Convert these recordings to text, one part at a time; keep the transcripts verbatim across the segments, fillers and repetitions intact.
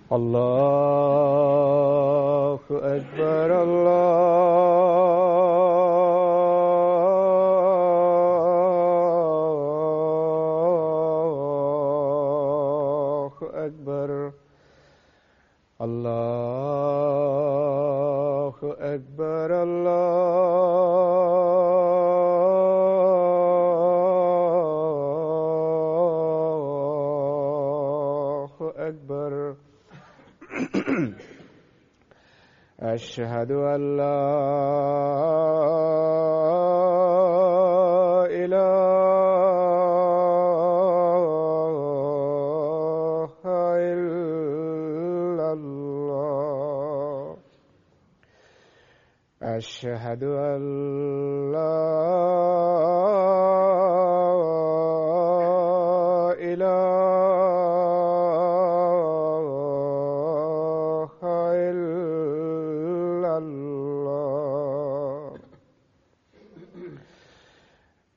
الله أكبر الله أكبر الله أكبر الله أكبر أشهد أن لا إله إلا الله أشهد أن لا إله إلا الله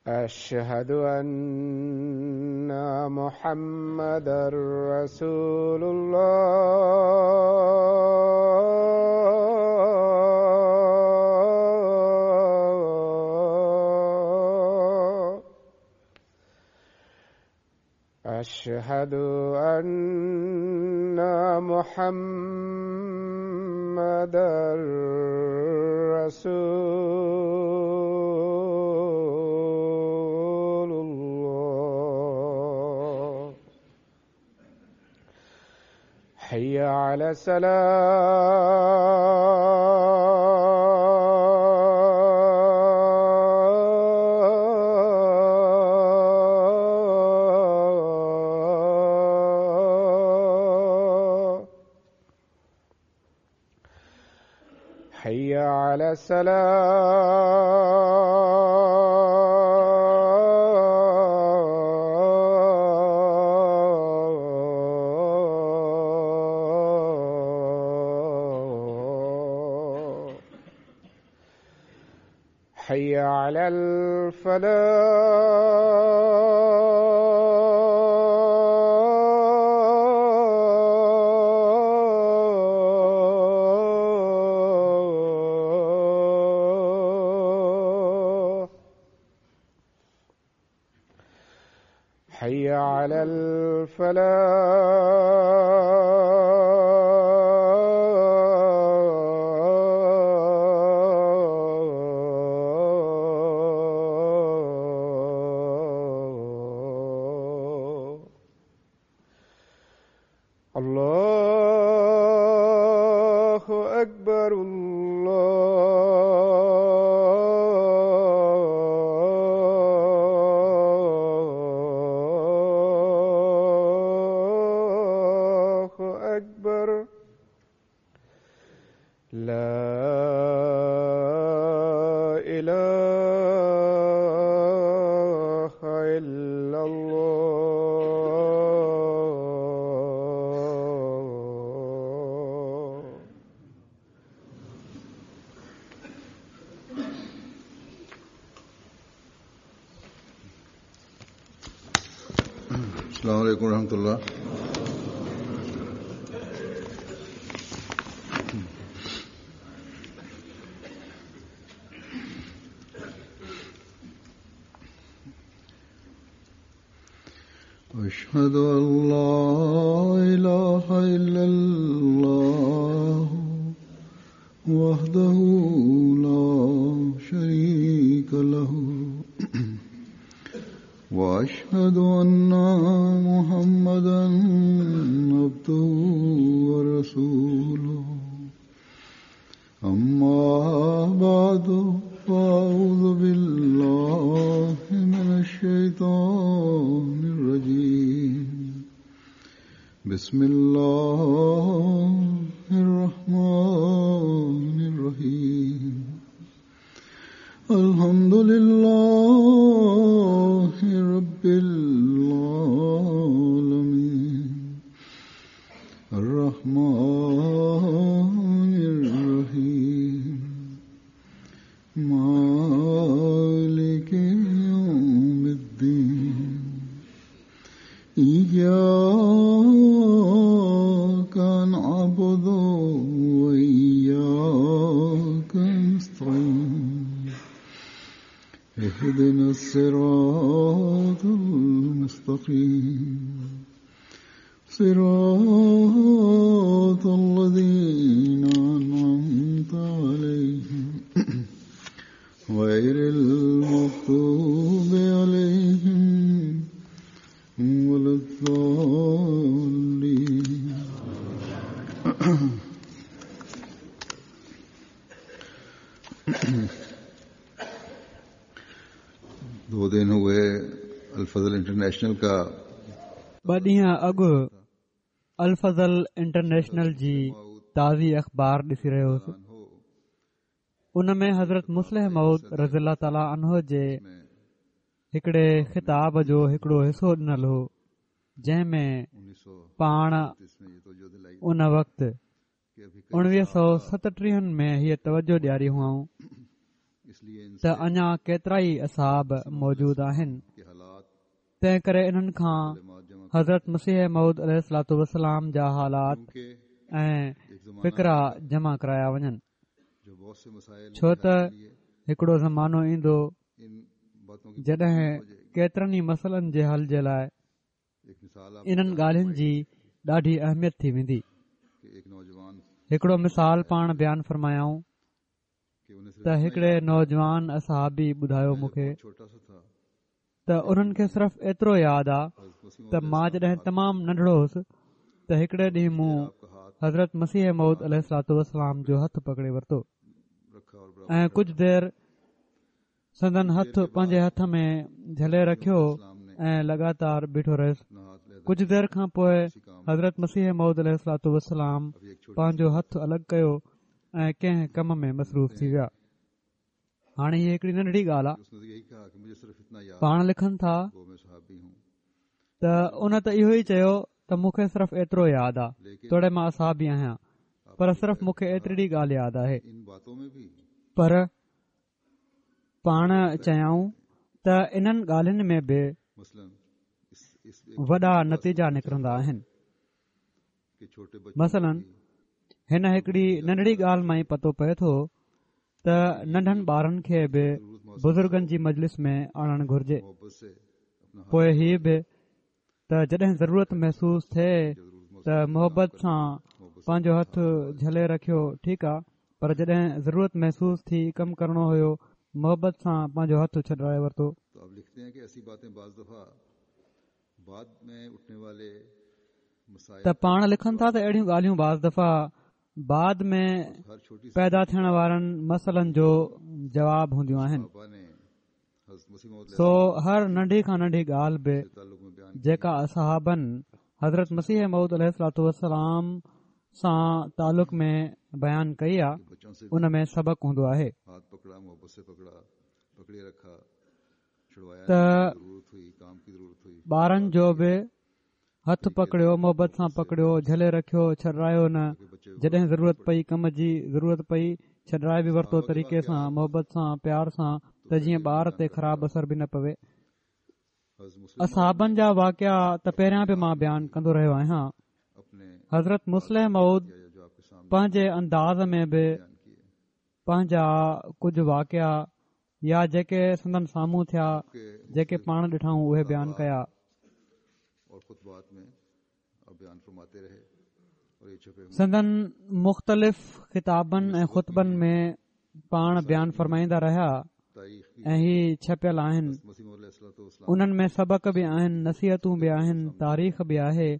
أشهد أن محمدا رسول الله أشهد أن محمدا رسول الله حي على السلام حي على السلام حي على الفلاح حي على الفلاح الله أكبر الله أكبر لا إله إلا الله السلام عليكم ورحمة الله. أشهد أن لا إله إلا الله وحده لا شريك له وأشهد أن محمدا عبده ورسوله. أما بعد فأعوذ بالله من الشيطان الرجيم. بسم الله الرحمن الرحيم. الحمد لله رب العالمين الرحمن الرحيم مالك يوم الدين إياك صراط الذين أنعمت عليهم غير المغضوب عليهم ولا الضالين. दो दिन हुए अल-फजल इंटरनेशनल का ॿ ॾींहं अॻु अल-फजल इंटरनेशनल जी ताज़ी अख़बार ॾिसी रहियो हुउसि। उन में हज़रत मुस्लिह मऊद रज़ी अल्लाह ताला अन्हो जे हिकिड़े ख़िताब जो हिकिड़ो हिसो ॾिनल हो, जंहिं में पाण उन वक़्तु उणिवीह सौ सतटीहनि में हीअ तवजो ॾियारी हुआऊं त अञा केतिरा ई असहाब मौजूद आहिनि, तंहिं करे इन्हनि खां हज़रत मसीह मऊद अलैहिस्सलातु वस्सलाम जा हालात ऐं फ़िक्रा जमा कराया वञनि, छो त हिकिड़ो ज़मानो ईंदो जॾहिं केतिरनि ई मसइलनि जे हल जे लाइ इन्हनि ॻाल्हियुनि जी ॾाढी अहमियत थी वेंदी। हिकिड़ो मिसाल पाण बयानु फरमायाऊं त हिकिड़े नौजवान असहाबी ॿुधायो मूंखे त उन्हनि खे सिर्फ़ एतिरो यादि आहे त मां जॾहिं तमामु नंढड़ो हुउसि त हिकिड़े ॾींहुं मूं हज़रत मसीह मऊद अलैहिस्सलातु वस्सलाम जो हथु पकड़े वरितो ऐं कुझु देरि संदन हथु पंहिंजे हथ में झले रखियो ऐं लगातार बीठो रहियुसि। कुझु देरि खां पोइ हज़रत मसीह मऊद अलैहिस्सलातु वस्सलाम पंहिंजो हथु अलॻि कयो ऐं कंहिं कम में मसरूफ़ थी विया। हाणे हीअ हिकिड़ी नंढड़ी ॻाल्हि आहे। पाण लिखनि था त उन त इहो ई चयो त मूंखे सिर्फ़ एतिरो यादि आहे, तोड़े मां असहाबी आहियां, पर सिर्फ़ मूंखे एतिरी ॻाल्हि यादि आहे। पर पाण चयाऊं त इन्हनि ॻाल्हियुनि में बि वॾा नतीजा निकिरंदा आहिनि। मसलन हिन हिकिड़ी नंढड़ी ॻाल्हि मां ई पतो पए थो त नंढनि ॿारनि खे बि बुज़ुर्गनि जी मजलिस में आणणु घुरिजे। पोइ हीअ बि त जॾहिं ज़रूरत महसूसु थिए त मोहबत सां पंहिंजो हथु झले रखियो, ठीकु आहे, पर जॾहिं ज़रूरत महसूसु थी कमु करिणो हुयो, मोहबत सां पंहिंजो हथु छॾाए वरितो। त पाण लिखनि था त अहिड़ियूं ॻाल्हियूं बाज़ दफ़ा बाद में पैदा थियण वारनि मसइलनि जो जवाब हूंदियूं आहिनि। सो हर नंढी खां नंढी ॻाल्हि बि जेका असहाबनि हज़रत मसीह मऊद अलैहिस्सलातु वस्सलाम सां तालुक में बयानु कई आहे, उन में सबक़ हूंदो आहे त ॿारनि जो बि हथु पकड़ियो, मोहबत सां पकड़ियो, झले रखियो, छॾायो न। जॾहिं ज़रूरत पई, कम जी ज़रूरत पई, छॾाए बि वरितो तरीक़े सां, मोहबत सां, प्यार सां, त जीअं ॿार ते ख़राबु असर बि न पवे। असहाबनि जा वाक़िआ त पहिरियां बि मां बयानु कंदो रहियो आहियां। हज़रत मुस्लिह मऊद पंहिंजे अंदाज़ में बि पंहिंजा कुझु वाक़िआ या जेके संदन साम्हूं थिया, जेके पाण ॾिठाऊं, उहे बयानु कया। संदन मुख़्तलिफ़ ख़िताबनि ऐं ख़ुतबनि में पाण बयानु फरमाईंदा रहिया ऐं ही छपियल आहिनि। उन्हनि में सबक़ बि आहिनि, नसीहतूं बि आहिनि, तारीख़ बि आहे,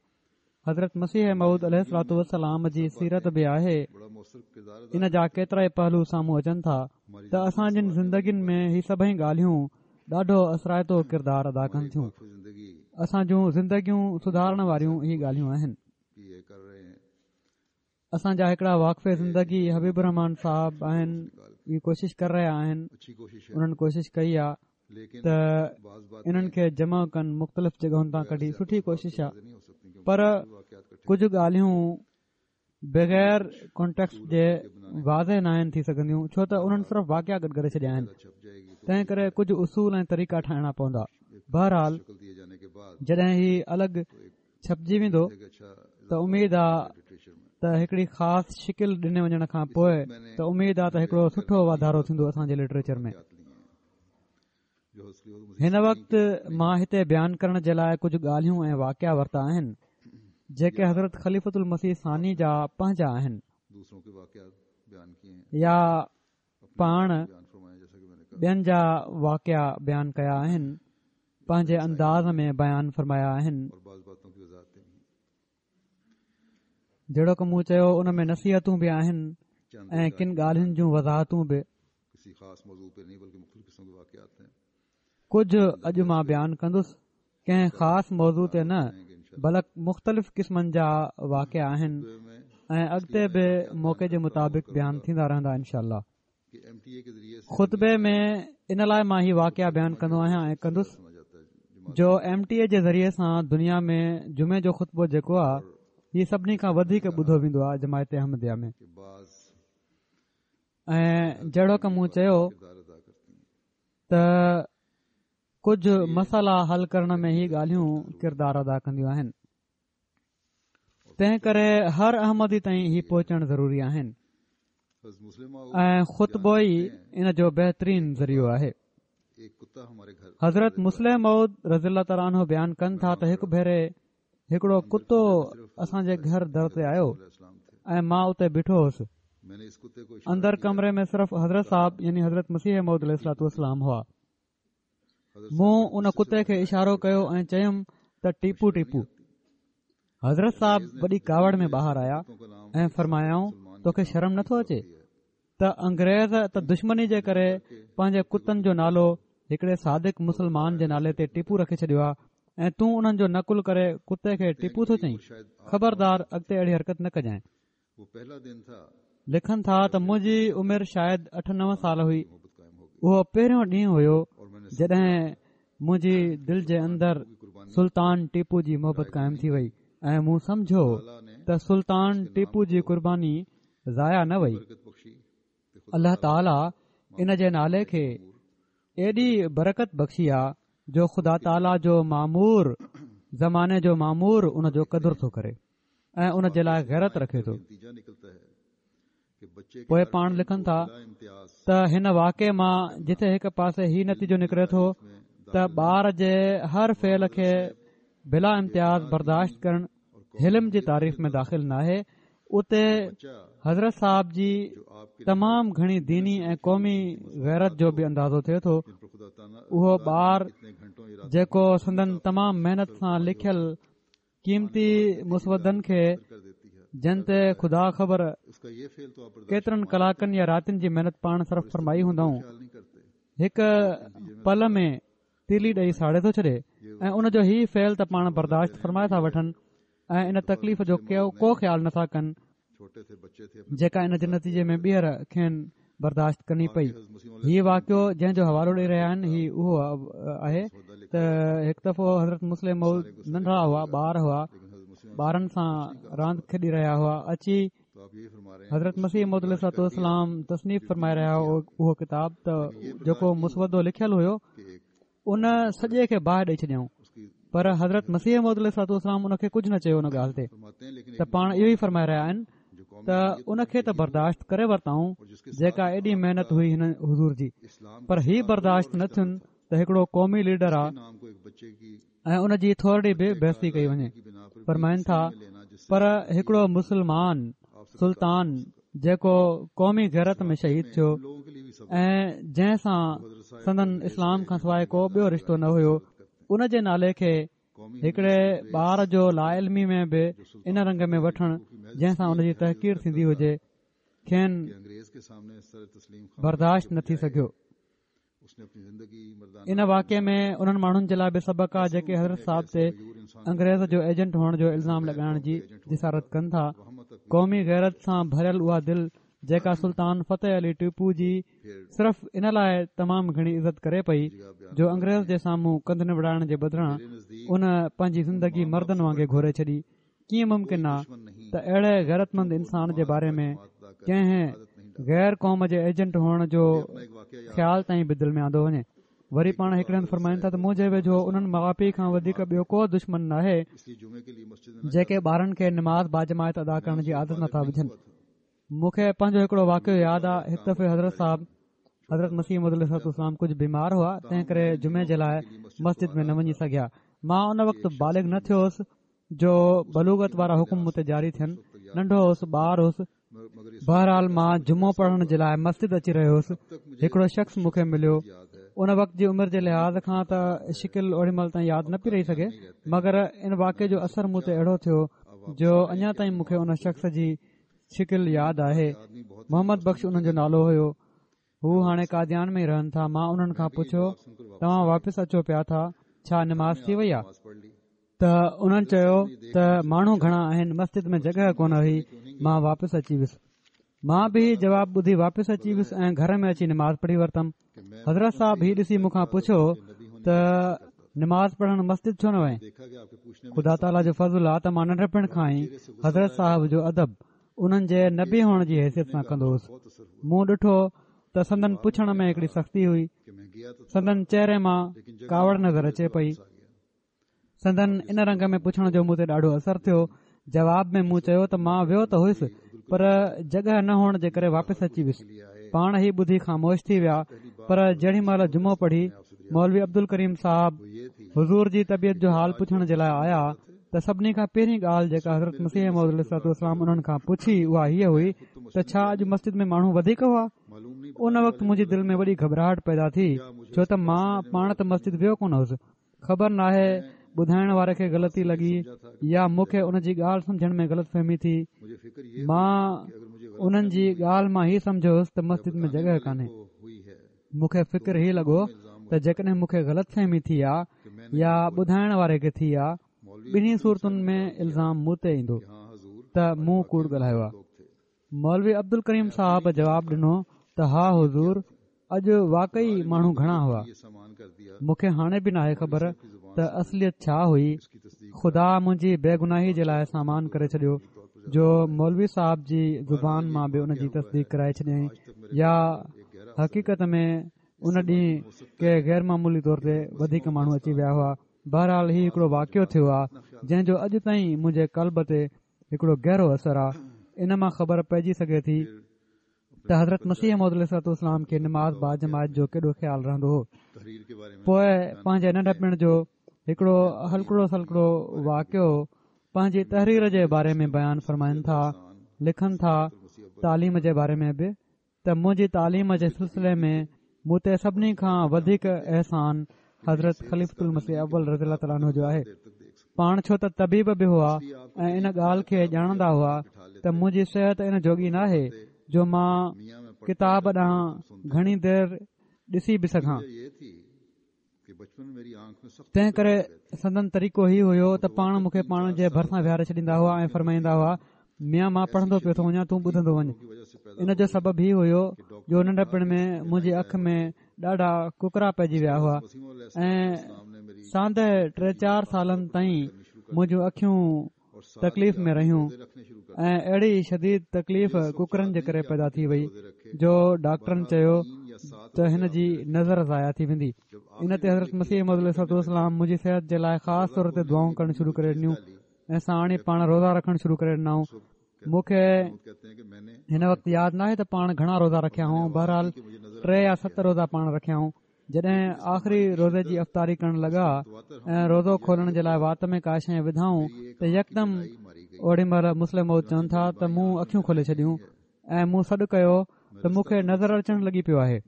हज़रत मसीह मऊद अलैहिस्सलातु वस्सलाम जी सीरत बि आहे। इन जा केतिरा ई पहलू साम्हूं अचनि था त असां जिन ज़िंदगियुनि में ही सभई ॻाल्हियूं ॾाढो असराइतो किरदारु अदा कनि थियूं। असां जूं ज़िंदगियूं सुधारण वारियूं ही ॻाल्हियूं आहिनि। असां जा हिकिड़ा वाक़िफ़ ज़िंदगी हबीब रहमान साहब आहिनि, इहे कोशिश कर रहिया आहिनि, उन्हनि कोशिश कई आहे त इन्हनि खे जमा कनि मुख़्तलिफ़ जॻहुनि तां कढी, सुठी कोशिश आहे, पर कुझु ॻाल्हियूं बग़ैर कॉन्टेक्स्ट जे वाज़े न आहिनि थी सघंदियूं, छो त उन्हनि सिर्फ़ वाक़िआ गॾु करे छॾिया आहिनि। तंहिं करे कुझु उसूल ऐं तरीक़ा ठाहिणा पवंदा। बहरहाल जॾहिं ही अलॻि छपजी वेंदो त उमेद आहे त हिकिड़ी ख़ासि शिकिल ॾिने वञण खां पोइ त उमेद आहे त हिकिड़ो सुठो वाधारो थींदो असांजे लिटरेचर में। हिन वक़्तु मां हिते बयानु करण जे लाइ कुझु ॻाल्हियूं ऐं वाक़िआ वरिता आहिनि, جيڪي حضرت خليفة المسيح ثاني جا پنهنجا آهن يا پاڻ ٻين جا واقعا بيان ڪيا آهن، پنهنجي انداز ۾ بيان فرمايا آهن. جهڙوڪ مون چيو ان ۾ نصيحتون به آهن ۽ ڪن ڳالهين جون وضاحتون به. ڪجهه اڄ مان بيان ڪندس، ڪنهن خاص موضوع تي نه بلڪ مختلف قسمن جا واقعا آهن ۽ اڳتي به موقعي جي مطابق بيان ٿيندا رهندا انشاء الله. خطبي ۾ ان لاءِ مان هي واقعا بيان ڪندو آهيان ۽ ڪندس جو ايم ٽي اي جي ذريعي سان دنيا ۾ جمعي جو خطبو جيڪو آهي هي سڀني کان وڌيڪ ٻڌو ويندو آهي جماعت احمديه ۾. ۽ جهڙوڪ مون چيو ته ڪجهه مسئلا حل ڪرڻ ۾ هي ڳالهيون ڪردار ادا ڪنديون آهن، تنهن ڪري هر احمدي تائين هي پهچڻ ضروري آهن ۽ خطبو ئي ان جو بهترين ذريعو آهي. حضرت مصلح موعود رضي الله تعاليٰ عنه بيان ڪن ٿا ته هڪ ڀيري هڪڙو ڪتو اسان جي گهر در تي آيو ۽ مان اتي بيٺو هوس. اندر ڪمري ۾ صرف حضرت صاحب يعني حضرت مسيح موعود عليه الصلوة والسلام هئا. مون ان ڪتي کي اشارو ڪيو ۽ چيم ته ٽيپو ٽيپو. حضرت صاحب وڏي ڪاوڙ ۾ ٻاهر آيا ۽ فرمايائون توکي شرم نٿو اچي ته انگريز ته دشمني جي ڪري پنهنجي ڪتن جو نالو هڪڙي صادق مسلمان جي نالي تي ٽيپو رکي ڇڏيو آهي ۽ تون انهن جو نقل ڪري ڪتي کي ٽيپو ٿو چئين، خبردار اڳتي اهڙي حرڪت نه ڪجانء. لکن ٿا ته منهنجي عمر شايد اٺ نو سال هئي. اهو پهريون ڏينهن هيو جڏهن منهنجي دل جي اندر سلطان ٽيپو جي محبت قائم ٿي وئي ۽ مون سمجهيو ته سلطان ٽيپو جي قرباني ضايع نه وئي. الله تعاليٰ ان جي نالي کي ايڏي برڪت بخشي آ جو خدا تعاليٰ جو مامور زماني جو مامور ان جو قدر ٿو ڪري ۽ ان جي لاءِ غيرت رکي ٿو. پوءِ پاڻ لکن ٿا ته هن واقعي مان جتي هڪ پاسي هي نتيجو نڪري ٿو ته ٻار جي هر فعل کي بلا امتياز برداشت ڪرڻ حلم جي تعريف ۾ داخل ناهي، اتي حضرت صاحب جي تمام گهڻي ديني ۽ قومي غيرت جو به اندازو ٿئي ٿو. اهو ٻار جيڪو سندن تمام محنت سان لکيل قيمتي مسودن کي، جن تي خدا خبر ڪيترن ڪلاڪن يا راتين جي محنت پاڻ صرف فرمائي هوندائون، هڪ پل ۾ تيلي ڏئي ساڙي ٿو ڇڏي ۽ ان جو هي فعل ته پاڻ برداشت فرمائي ٿا وٺن ۽ ان تڪليف جو ڪو خيال نٿا ڪن جيڪا ان جي نتيجي ۾ ٻيهر کين برداشت ڪرڻي پئي. هي واقعو جنهن جو حوالو ڏئي رهيا آهن هي اهو آهي ته هڪ دفعو حضرت مصلح موعود ننڍڙا هئا، ٻار هئا، ٻارن سان راند کيڏي رهيا هئا، اچي حضرت مسيح موعود عليه الصلوة والسلام تصنيف فرمائي رهيا هئا اهو ڪتاب ته جيڪو مسودو لکيل هيو ان سڄي کي باهه ڏئي ڇڏيائون، پر حضرت مسيح موعود عليه الصلوة والسلام ان کي ڪجهه نه چيو ان ڳالهه تي ته پاڻ اهو ئي فرمائي رهيا آهن ته ان کي ته برداشت ڪري ورتائون جيڪا ايڏي محنت هئي هن حضور جي، پر هي برداشت نه ٿين ته هڪڙو قومي ليڊر آ ۽ ان جي ٿورڙي به بيعزتي ڪئي وڃي. فرمائن ٿا پر هڪڙو مسلمان سلطان جيڪو قومي غيرت ۾ شهيد ٿيو ۽ جنهن سان سندن اسلام کان سواءِ ڪو ٻيو رشتو نه هيو، ان جي نالي کي هڪڙي ٻار جو لاعلمي ۾ به ان رنگ ۾ وٺڻ جنهن سان ان جي تحقير ٿيندي هجي، کين برداشت نه ٿي سگهيو. ان واقعي ۾ انهن ماڻهن جي لاءِ به سبق آهي جيڪي حضرت صاحب تي انگريز جو ايجنٽ هئڻ جو الزام لڳائڻ جي جسارت ڪن ٿا. قومي غيرت سان ڀريل اها دل جيڪا سلطان فتح علي ٽيپو جي صرف ان لاءِ تمام گهڻي عزت ڪري پئي جو انگريز جي سامهون ڪنڌ نوڙائڻ جي بدران ان پنهنجي زندگي مردن وانگي گهوري ڇڏي. ڪيئن ممڪن آ ته اهڙي غيرتمند انسان جي باري ۾ ڪنهن غير قوم جي ايجنٽ هئڻ جو خيال تائين به دل ۾ آندو وڃي. وري پاڻ هڪڙي هنڌ فرمائن ٿا ته منهنجي ويجهو انهن ماءُ پيءُ کان وڌيڪ ٻيو ڪو دشمن ناهي جيڪي ٻارن کي نماز باجماعت ادا ڪرڻ جي عادت نٿا وجهن. مون کي پنهنجو هڪڙو واقعو ياد آ. هڪ دفعي حضرت صاحب حضرت مسيح موعود عليه الصلوة والسلام ڪجهه بيمار هئا، تنهن ڪري جمعي جي لاءِ مسجد ۾ نه وڃي سگهيا. مان ان وقت بالغ نه ٿيو هوس، جو بلوغت وارا حڪم مون تي جاري ٿين. ننڍو هوس، ٻار هوس. بهرحال مان جمعو پڙهڻ جي لاءِ مسجد اچي رهيو هوس. هڪڙو شخص مون کي مليو. ان وقت جي عمر جي لحاظ کان ته شڪل اوڏي مهل تائين ياد نه پئي رهي سگهي، مگر ان واقعي جو اثر مون تي اهڙو ٿيو جو اڃا تائين مون کي ان شخص جي شڪل ياد آهي. محمد بخش انهن جو نالو هيو. هو هاڻي قاديان ۾ ئي رهن ٿا. مان انهن کان پڇيو، توهان واپس اچو پيا ٿا، ڇا نماز ٿي وئي آهي؟ ته انهن چيو ته ماڻهو گهڻا آهن، مسجد ۾ جڳهه ڪونه هئي، مان واپس اچي ويس. مان به هي جواب ٻڌي واپس اچي ويس ۽ گهر ۾ اچي نماز پڙهي ورتم. حضرت صاحب هي ڏسي مون کان پڇيو ته نماز پڙهڻ مسجد ڇو نه وئين؟ خدا تعاليٰ جو فضل آ ته مان ننڍپڻ کان ئي حضرت صاحب جو ادب انهن جي نبي هئڻ جي حيثيت سان ڪندو هوس. مون ڏٺو ته سندن پڇڻ ۾ هڪڙي سختي هئي، سندن چهري مان ڪاوڙ نظر اچي پئي. سندن ان رنگ ۾ پڇڻ جو مون تي ڏاڍو اثر ٿيو. جواب ۾ مون چيو ته مان ويو ته هيس، پر جڳهه نه هئڻ جي ڪري واپس اچي ويس. پاڻ هي ٻڌي خاموش ٿي ويا، پر جهڙي مهل جمعو پڙهي مولوي عبدالڪريم صاحب حضور جي طبيعت جو حال پڇڻ جي لاءِ آيا ته سڀني کان پهرين ڳالهه جيڪا حضرت مسيح موعود عليه الصلوة والسلام انهن کان پڇي اها هيءَ هئي ته ڇا اڄ مسجد ۾ ماڻهو وڌيڪ هئا؟ ان وقت منهنجي دل ۾ وڏي گهٻراهٽ پيدا ٿي، ڇو ته مان پاڻ ته مسجد ويو ڪونه هوس. خبر ناهي ٻڌائڻ واري کي غلطي لڳي يا مون کي ان جي ڳالهه سمجهڻ ۾ غلط فهمي ٿي. مان انهن جي ڳالهه مان هي سمجهيو هوس ته مسجد ۾ جڳهه ڪانهي. مون کي فڪر هي لڳو ته جيڪڏهن مون کي غلط فهمي ٿي آ يا ٻڌائڻ واري کي ٿي آ، ٻنهي صورتن ۾ الزام مون تي ايندو ته مون ڪوڙ ڳالهايو آ. مولوي عبدالڪريم صاحب جواب ڏنو ته ها حضور، اڄ واقعي ماڻهو گهڻا هئا. مون کي هاڻي به ناهي خبر ته اصليت ڇا هئي. خدا منهنجي بيگناهي جي لاءِ سامان ڪري ڇڏيو جو مولوي صاحب جي زبان مان به ان جي تصديق ڪرائي ڇڏيائين، يا حقيقت ۾ ان ڏينهن ڪي غير معمولي طور تي وڌيڪ ماڻهو اچي ويا هئا. بهرحال هي هڪڙو واقعو ٿيو آهي جنهن جو اڄ تائين منهنجي قلب تي هڪڙو گهرو اثر آهي. ان مان خبر پئجي سگهي ٿي ته حضرت مسيح موعود عليه الصلوة والسلام کي نماز باجماعت جو ڪيڏو خيال رهندو هو. پوءِ پنهنجي ننڍپڻ جو هڪڙو هلڪڙو سلڪڙو واقعو پنهنجي تحرير جي باري ۾ بيان فرمائن ٿا. لکن ٿا تعليم جي باري ۾ به ته منهنجي تعليم جي سلسلي ۾ مون تي سڀني کان وڌيڪ احسان حضرت خليفة المسيح اول رضي الله تعاليٰ عنه جو آهي. پاڻ ڇو ته طبيب به هئا ۽ ان ڳالهه کي ڄاڻندا هئا ته منهنجي صحت ان جوڳي ناهي جو مان ڪتاب ڏانهن گهڻي دير ڏسي به سگهان. تنهن ڪري سندن طريقو هي هيو ته پاڻ مون کي پاڻ جي ڀرسان ويهاري ڇڏيندا هئا ۽ فرمائيندا هئا، ميان مان پڙهندو پيو ٿو وڃان، تون ٻڌندو وڃ. ان جو سبب هي هيو جو ننڍپڻ ۾ منهنجي اک ۾ ڏاڍا ڪڪرا پئجي ويا هئا ۽ ساندهه ٽي چار سالن تائين منهنجون اکيون تڪليف ۾ رهيون ۽ اهڙي شديد تڪليف ڪڪرن جي ڪري پيدا ٿي وئي جو ڊاڪٽرن چيو ته هن جي نظر ضايع ٿي ويندي. ان تي حضرت مسيح موعود عليه الصلوة والسلام منهنجي صحت جي لاءِ خاص طور تي دعائون ڪرڻ شروع ڪري ڏنيون ۽ ساڻ ئي پاڻ روزا رکڻ شروع ڪري ڏنائون. مون کي هن وقت ياد ناهي ته پاڻ گهڻا روزا رکيا هئائون، بهرحال ٽي يا ست روزا پاڻ رکيائون. جڏهن آخري روزي جي افطاري ڪرڻ لڳا ۽ روزو کولڻ جي لاءِ وات ۾ ڪا شيءِ وڌائون ته يڪدم اوڏي مهل مصلح موعود چون ٿا ته مون اکيون کولي ڇڏيون ۽ مون سڏ ڪيو ته مون کي نظر اچڻ لڳي پيو آهي،